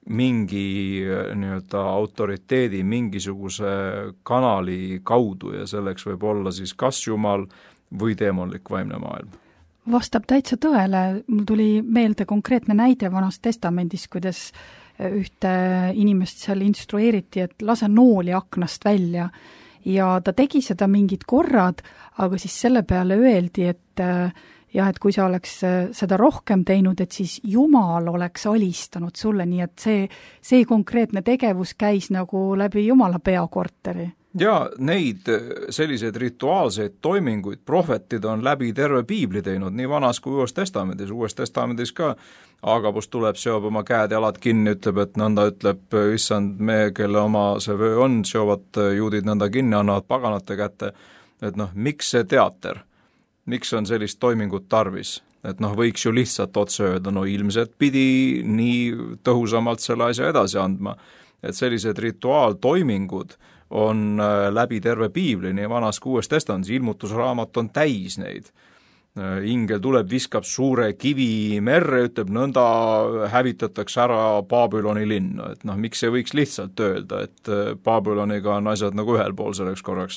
mingi nii-öelda autoriteedi, mingisuguse kanali kaudu ja selleks võib olla siis kas Jumal või teemonlik vaimne maailm. Vastab täitsa tõele, mul tuli meelde konkreetne näide Vanas Testamendis, kuidas ühte inimest seal instrueeriti, et lase nooli aknast välja ja ta tegi seda mingid korrad, aga siis selle peale öeldi, et jah, et kui sa oleks seda rohkem teinud, et siis Jumal oleks alistanud sulle, nii et see, see konkreetne tegevus käis nagu läbi Jumala peakorteri. Ja neid selliseid rituaalseid toiminguid prohvetid on läbi terve piibli teinud, nii Vanas kui Uues Testamendis. Uues Testamendis ka Agabus tuleb, seob oma käed jalad kinni, ütleb, et nõnda ütleb issand me, kelle oma see vöö on, seovad juudid nõnda kinni, annavad paganate kätte. Et noh, miks see teater? Miks on sellist toimingut tarvis? Et noh, võiks ju lihtsalt otse öelda, no ilmselt pidi nii tõhusamalt selle asja edasi andma. Et sellised rituaaltoimingud on läbi terve piibli, nii Vanas kui Uues Testamendis, ilmutusraamat on täis neid. Ingel tuleb, viskab suure kivi merre, ütleb, nõnda hävitatakse ära Babyloni linn. Et noh, miks ei võiks lihtsalt öelda, et Babyloniga on asjad nagu ühel pool selleks korraks.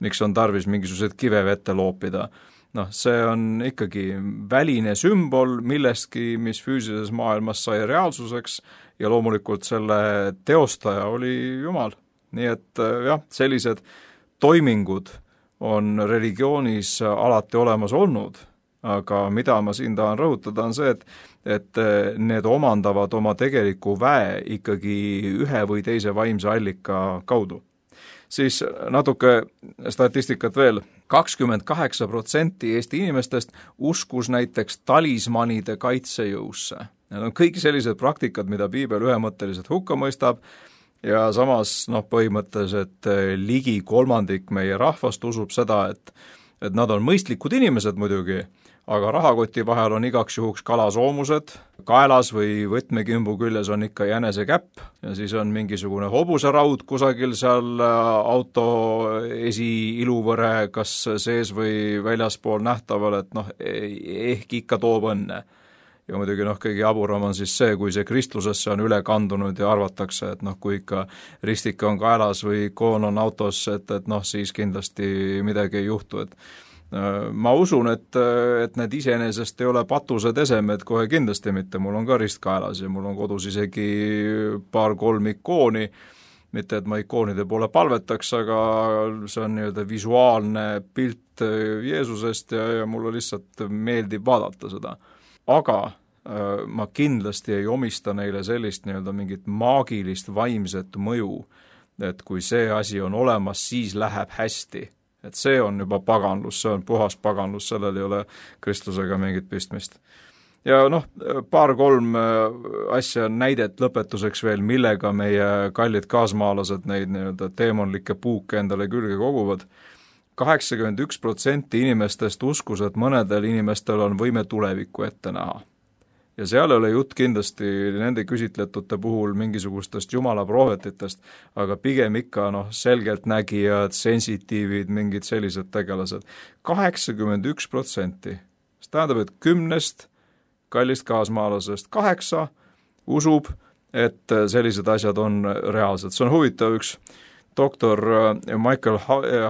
Miks on tarvis mingisugused kive vette loopida? Noh, see on ikkagi väline sümbol millestki, mis füüsilises maailmas sai reaalsuseks ja loomulikult selle teostaja oli Jumal. Nii et jah, sellised toimingud on religioonis alati olemas olnud, aga mida ma siin tahan rõhutada on see, et, et need omandavad oma tegeliku väe ikkagi ühe või teise vaimse allika kaudu. Siis natuke statistikat veel, kakskümmend kaheksa protsenti Eesti inimestest uskus näiteks talismanide kaitsejõusse. Need on kõik sellised praktikad, mida piibel ühemõtteliselt hukka mõistab, ja samas noh, põhimõtteliselt ligi kolmandik meie rahvast usub seda, et, et nad on mõistlikud inimesed muidugi, aga rahakoti vahel on igaks juhuks kalasoomused, kaelas või võtmekimbu küljes on ikka jänesekäpp ja siis on mingisugune hobuseraud kusagil seal auto esiiluvõre kas sees või väljaspool nähtaval, et noh, ehk ikka toob õnne. Ja muidugi noh, kõige jaburam on siis see, kui see kristlusesse on üle kandunud ja arvatakse, et noh, kui ikka ristik on kaelas või koon on autos, et, et noh, siis kindlasti midagi ei juhtu, et ma usun, et, et need iseenesest ei ole patused esemed, kohe kindlasti mitte, mul on ka rist kaelas ja mul on kodus isegi paar-kolm ikooni, mitte et ma ikoonide poole palvetaks, aga see on nii-öelda visuaalne pilt Jeesusest ja, ja mulle lihtsalt meeldib vaadata seda. Aga ma kindlasti ei omista neile sellist nii-öelda mingit maagilist vaimset mõju, et kui see asi on olemas, siis läheb hästi. Et see on juba paganlus, see on puhas paganlus, sellel ei ole kristlusega mingit pistmist. Ja noh, paar-kolm asja näidet lõpetuseks veel, millega meie kallid kaasmaalased neid nii-öelda teemonlikke puuke endale külge koguvad. kaheksakümmend üks protsenti inimestest uskus, et mõnedel inimestel on võime tulevikku ette näha. Ja seal ei ole jutt kindlasti nende küsitletute puhul mingisugustest jumala prohvetitest, aga pigem ikka noh, selgelt nägijad, sensitiivid, mingid sellised tegelased. kaheksakümmend üks protsenti. See tähendab, et kümnest kallist kaasmaalasest kaheksa usub, et sellised asjad on reaalsed. See on huvitav, üks doktor Michael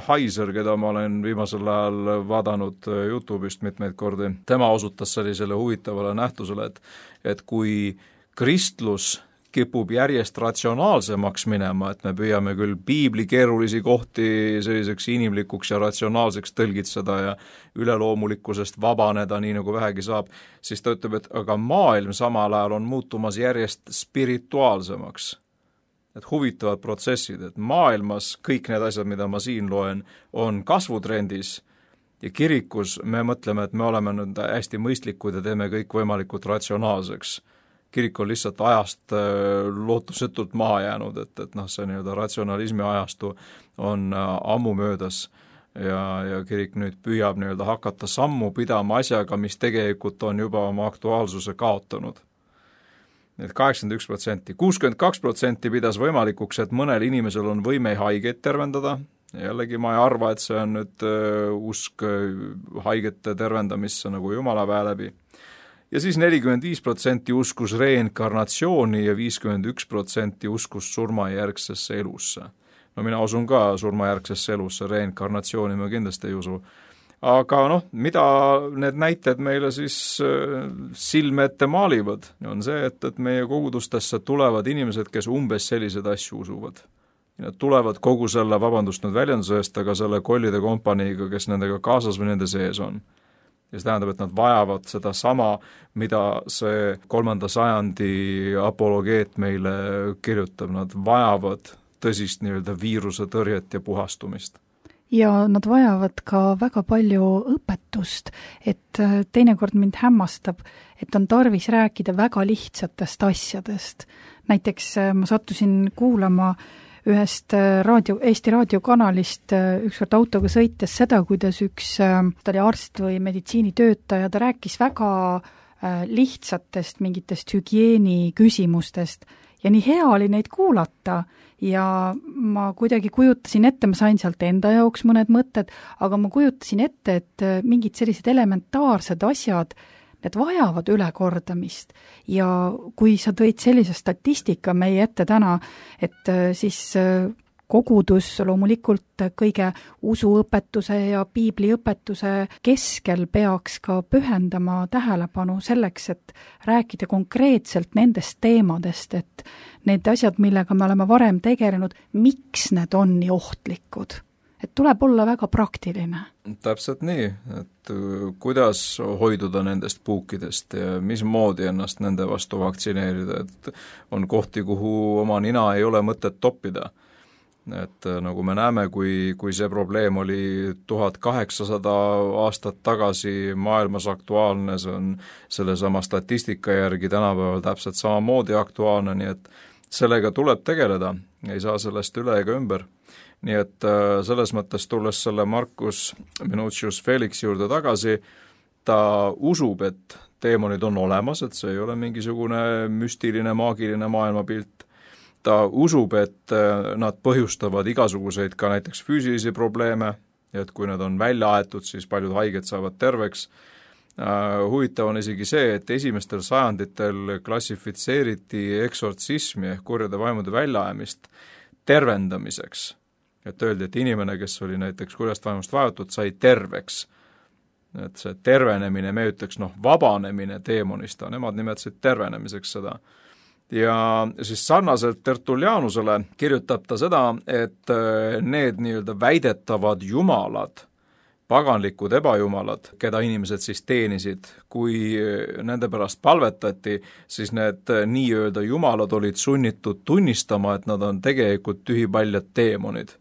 Heiser, keda ma olen viimasel ajal vaadanud YouTube'ist mitmeid kordi, tema osutas sellisele huvitavale nähtusele, et, et kui kristlus kipub järjest ratsionaalsemaks minema, et me püüame küll piibli keerulisi kohti selliseks inimlikuks ja ratsionaalseks tõlgitseda ja üleloomulikkusest vabaneda nii nagu vähegi saab, siis ta ütleb, et aga maailm samal ajal on muutumas järjest spirituaalsemaks. Et huvitavad protsessid, et maailmas kõik need asjad, mida ma siin loen, on kasvutrendis ja kirikus me mõtleme, et me oleme nüüd hästi mõistlikud ja teeme kõik võimalikult ratsionaalseks. Kirik on lihtsalt ajast lootusetult maha jäänud, et, et noh, see nii-öelda ratsionalismi ajastu on ammu möödas ja, ja kirik nüüd püüab nii-öelda hakata sammu pidama asjaga, mis tegelikult on juba oma aktuaalsuse kaotanud. Need kaheksakümmend üks protsenti. kuuskümmend kaks protsenti pidas võimalikuks, et mõnel inimesel on võime haigeid tervendada. Jällegi ma ei arva, et see on nüüd uh, usk haigete tervendamisse nagu Jumala väe läbi. Ja siis nelikümmend viis protsenti uskus reinkarnatsiooni ja viiskümmend üks protsenti uskus surmajärgsesse elusse. No mina usun ka surmajärgsesse elusse, reinkarnatsiooni ma kindlasti ei usu. Aga noh, mida need näited meile siis silme ette maalivad, on see, et, et meie kogudustesse tulevad inimesed, kes umbes sellised asju usuvad. Nad tulevad kogu selle, vabandust nüüd väljenduse eest, aga selle kollide kompaniiga, kes nendega kaasas või nende sees on. Ja see tähendab, et nad vajavad seda sama, mida see kolmanda sajandi apologeet meile kirjutab. Nad vajavad tõsist nii-öelda viiruse tõrjet ja puhastumist. Ja nad vajavad ka väga palju õpetust, et teinekord mind hämmastab, et on tarvis rääkida väga lihtsatest asjadest. Näiteks ma sattusin kuulama ühest raadio, Eesti raadiokanalist ükskord autoga sõites seda, kuidas üks, ta oli arst või meditsiinitöötaja, ta rääkis väga lihtsatest mingitest hügieeni küsimustest ja nii hea oli neid kuulata ja ma kuidagi kujutasin ette, ma sain sealt enda jaoks mõned mõtted, aga ma kujutasin ette, et mingid sellised elementaarsed asjad, need vajavad ülekordamist. Ja kui sa tõid sellise statistika meie ette täna, et siis kogudus loomulikult kõige usuõpetuse ja piibliõpetuse keskel peaks ka pühendama tähelepanu selleks, et rääkida konkreetselt nendest teemadest, et need asjad, millega me oleme varem tegelenud, miks need on nii ohtlikud. Et tuleb olla väga praktiline. Täpselt nii, et kuidas hoiduda nendest puukidest ja mismoodi ennast nende vastu vaktsineerida, et on kohti, kuhu oma nina ei ole mõtet toppida. Et nagu me näeme, kui, kui see probleem oli tuhat kaheksasada aastat tagasi maailmas aktuaalne, see on sellesama statistika järgi tänapäeval täpselt samamoodi aktuaalne, nii et sellega tuleb tegeleda, ei saa sellest üle ega ümber. Nii et selles mõttes tulles selle Marcus Minucius Felix juurde tagasi, ta usub, et teemonid on olemas, et see ei ole mingisugune müstiline, maagiline maailmapilt. Ta usub, et nad põhjustavad igasuguseid ka näiteks füüsilisi probleeme, ja et kui nad on välja aetud, siis paljud haiged saavad terveks. Huvitav on isegi see, et esimestel sajanditel klassifitseeriti eksortsismi ehk kurjade vaimude väljaajamist tervendamiseks. Et öeldi, et inimene, kes oli näiteks kurjast vaimust vajatud, sai terveks. Et see tervenemine, me ütleks, noh, vabanemine teemonist, nemad nimetasid tervenemiseks seda. Ja siis sarnaselt Tertullianusele kirjutab ta seda, et need nii-öelda väidetavad jumalad, paganlikud ebajumalad, keda inimesed siis teenisid, kui nende pärast palvetati, siis need nii-öelda jumalad olid sunnitud tunnistama, et nad on tegelikult tühipaljad teemonid.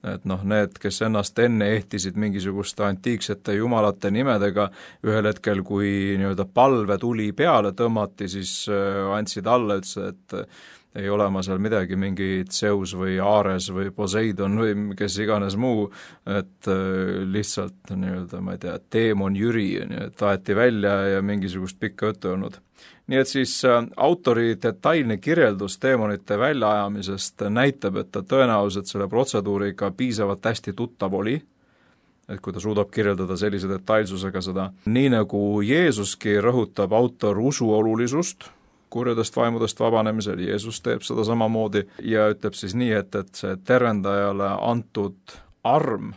Et noh, need, kes ennast enne ehtisid mingisuguste antiiksete jumalate nimedega, ühel hetkel, kui nii-öelda palve tuli peale tõmmati, siis andsid alla, ütles, et ei ole ma seal midagi, mingi Zeus või Ares või Poseidon või kes iganes muu, et lihtsalt nii-öelda, ma ei tea, teemon Jüri, et aeti välja ja mingisugust pikka juttu olnud. Nii et siis autori detailne kirjeldus teemonite väljaajamisest näitab, et ta tõenäoliselt selle protseduuriga piisavalt hästi tuttav oli, et kui ta suudab kirjeldada sellise detailsusega seda. Nii nagu Jeesuski rõhutab autor usu olulisust kurjadest vaimudest vabanemisel, Jeesus teeb seda samamoodi ja ütleb siis nii, et, et see tervendajale antud arm,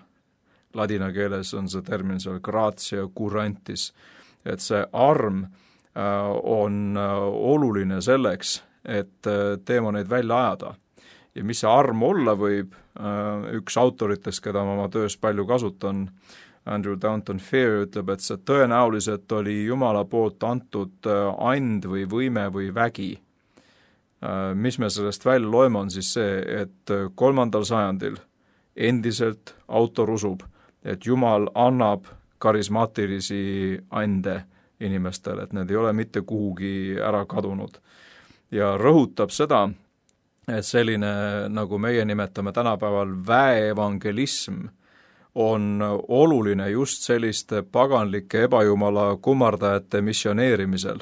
ladina keeles on see termin seal gratia curantis, et see arm on oluline selleks, et teemoneid välja ajada. Ja mis see arm olla võib, üks autoritest, keda ma oma töös palju kasutan, Andrew Downton Fair ütleb, et see tõenäoliselt oli Jumala poolt antud and või võime või vägi. Mis me sellest välja loeme on siis see, et kolmandal sajandil endiselt autor usub, et Jumal annab karismaatilisi ande inimestele, et need ei ole mitte kuhugi ära kadunud. Ja rõhutab seda, et selline, nagu meie nimetame tänapäeval väeevangelism, on oluline just selliste paganlike ebajumala kummardajate missioneerimisel.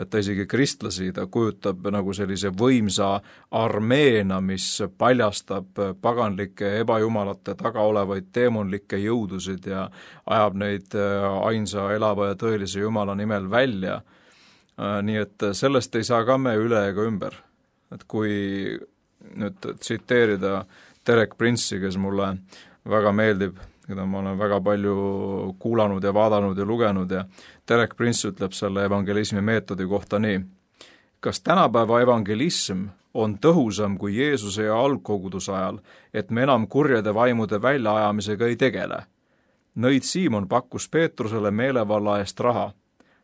Et ta isegi kristlasi, ta kujutab nagu sellise võimsa armeena, mis paljastab paganlike ebajumalate taga olevaid teemonlikke jõudusid ja ajab neid ainsa elava ja tõelise Jumala nimel välja. Nii et sellest ei saa ka me üle ega ümber. Et kui nüüd tsiteerida Derek Prince'i, kes mulle väga meeldib, keda ma olen väga palju kuulanud ja vaadanud ja lugenud ja Derek Prince ütleb selle evangelismi meetodi kohta nii. Kas tänapäeva evangelism on tõhusam kui Jeesuse ja algkoguduse ajal, et me enam kurjade vaimude väljaajamisega ei tegele? Nõid Siimon pakkus Peetrusele meelevalla eest raha.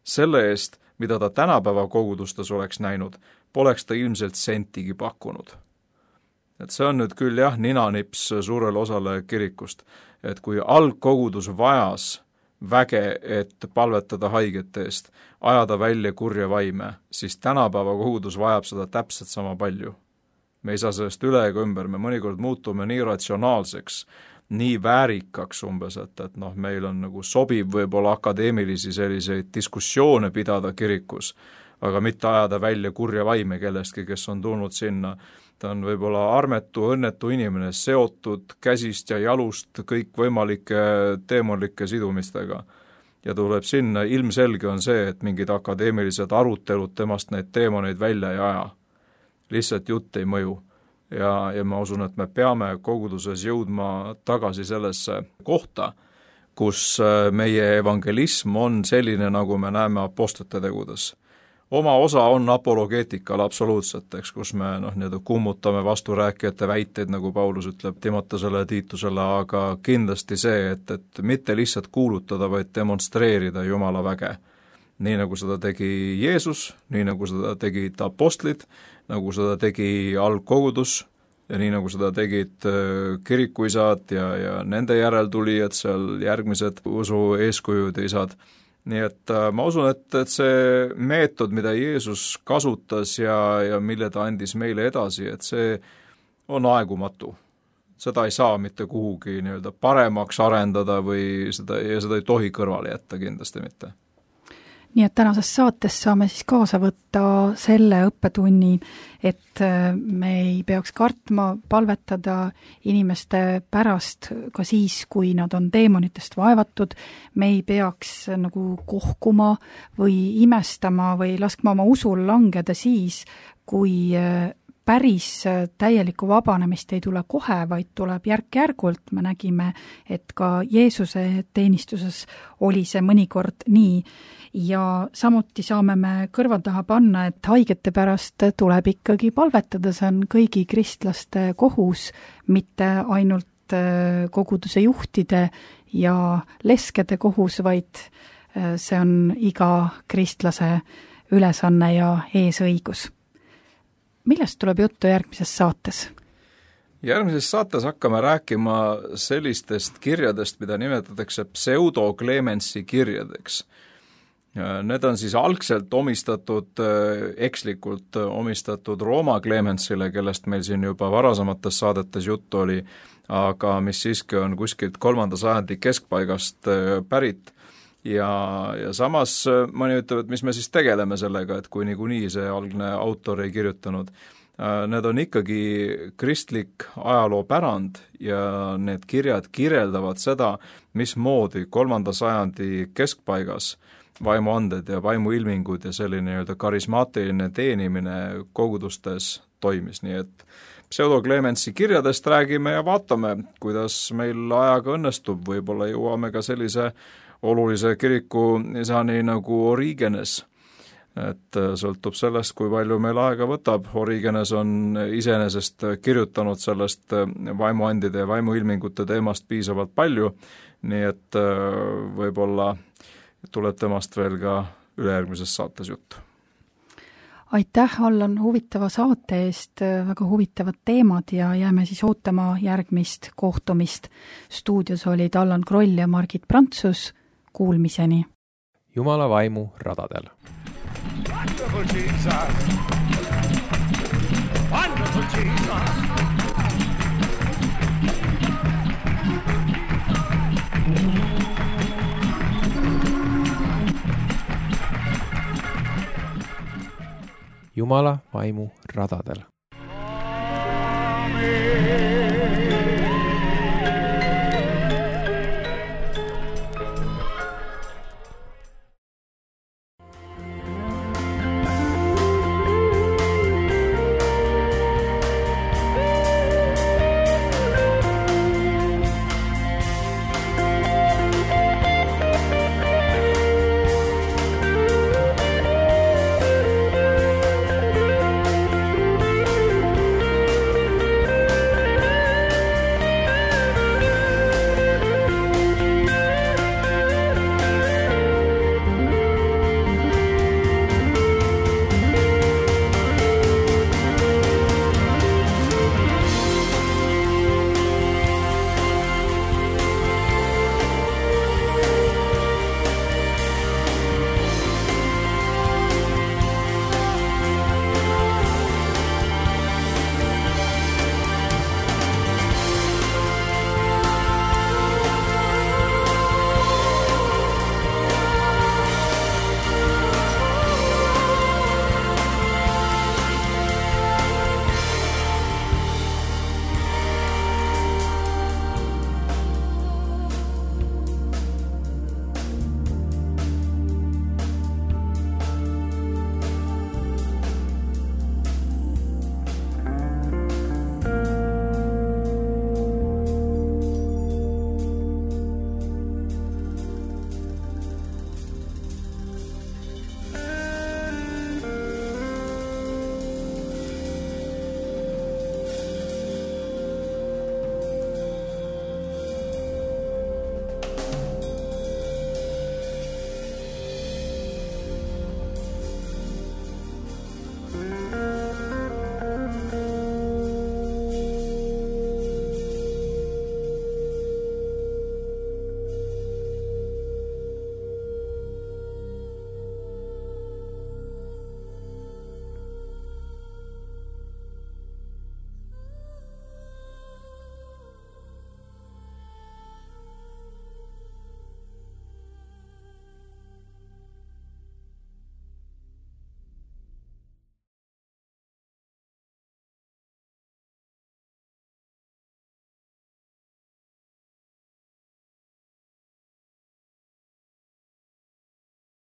Selle eest, mida ta tänapäeva kogudustes oleks näinud, poleks ta ilmselt sentigi pakkunud. Et see on nüüd küll jah, ninanips suurele osale kirikust, et kui algkogudus vajas väge, et palvetada haigete eest, ajada välja kurja vaime, siis tänapäeva kogudus vajab seda täpselt sama palju. Me ei saa sellest üle ega ümber, me mõnikord muutume nii ratsionaalseks, nii väärikaks umbes, et, et noh, meil on nagu sobib võib-olla akadeemilisi selliseid diskussioone pidada kirikus, aga mitte ajada välja kurja vaime kellestki, kes on tulnud sinna. Ta on võib-olla armetu, õnnetu inimene, seotud käsist ja jalust kõik võimalike teemonlike sidumistega. Ja tuleb sinna, ilmselge on see, et mingid akadeemilised arutelud temast neid teemoneid välja ei aja. Lihtsalt jutt ei mõju. Ja, ja ma usun, et me peame koguduses jõudma tagasi sellesse kohta, kus meie evangelism on selline, nagu me näeme apostlite tegudes. Oma osa on apologeetikal absoluutselt, eks, kus me noh, nii-öelda kummutame vasturääkijate väiteid, nagu Paulus ütleb Timotesele ja Tiitusele, aga kindlasti see, et, et mitte lihtsalt kuulutada, vaid demonstreerida Jumala väge. Nii nagu seda tegi Jeesus, nii nagu seda tegid apostlid, nagu seda tegi algkogudus ja nii nagu seda tegid kirikuisad ja, ja nende järeltulijad, seal järgmised usu eeskujud ja isad. nii et ma usun, et, et see meetod, mida Jeesus kasutas ja, ja mille ta andis meile edasi, et see on aegumatu. Seda ei saa mitte kuhugi nii-öelda paremaks arendada või seda, ja seda ei tohi kõrvale jätta kindlasti mitte. Nii et tänases saates saame siis kaasa võtta selle õppetunni, et me ei peaks kartma palvetada inimeste pärast ka siis, kui nad on teemonitest vaevatud, me ei peaks nagu kohkuma või imestama või laskma oma usul langeda siis, kui päris täielikku vabanemist ei tule kohe, vaid tuleb järk-järgult. Me nägime, et ka Jeesuse teenistuses oli see mõnikord nii. Ja samuti saame me kõrva taha panna, et haigete pärast tuleb ikkagi palvetada, see on kõigi kristlaste kohus, mitte ainult koguduse juhtide ja leskede kohus, vaid see on iga kristlase ülesanne ja eesõigus. Millest tuleb juttu järgmises saates? Järgmises saates hakkame rääkima sellistest kirjadest, mida nimetatakse pseudoklemensi kirjadeks. Need on siis algselt omistatud, ekslikult omistatud Rooma Clemensile, kellest meil siin juba varasemates saadetes juttu oli, aga mis siiski on kuskilt kolmanda sajandi keskpaigast pärit. Ja, ja samas mõni ütleb, et mis me siis tegeleme sellega, et kui niikuinii see algne autor ei kirjutanud. Need on ikkagi kristlik ajaloopärand ja need kirjad kirjeldavad seda, mismoodi kolmanda sajandi keskpaigas vaimuanded ja vaimuilmingud ja selline nii-öelda karismaatiline teenimine kogudustes toimis, nii et pseudoklemensi kirjadest räägime ja vaatame, kuidas meil ajaga õnnestub, võib-olla jõuame ka sellise olulise kiriku isani nagu Origenes, et sõltub sellest, kui palju meil aega võtab. Origenes on iseenesest kirjutanud sellest vaimuandide ja vaimuilmingute teemast piisavalt palju, nii et võib-olla tuleb temast veel ka ülejärgmises saates juttu. Aitäh, Allan, huvitava saate eest, väga huvitavad teemad ja jääme siis ootama järgmist kohtumist. Stuudios olid Allan Kroll ja Margit Prantsus. Kuulmiseni. Jumala vaimu radadel. Wonderful Jesus. Wonderful Jesus. Jumala vaimu radadel. Amen.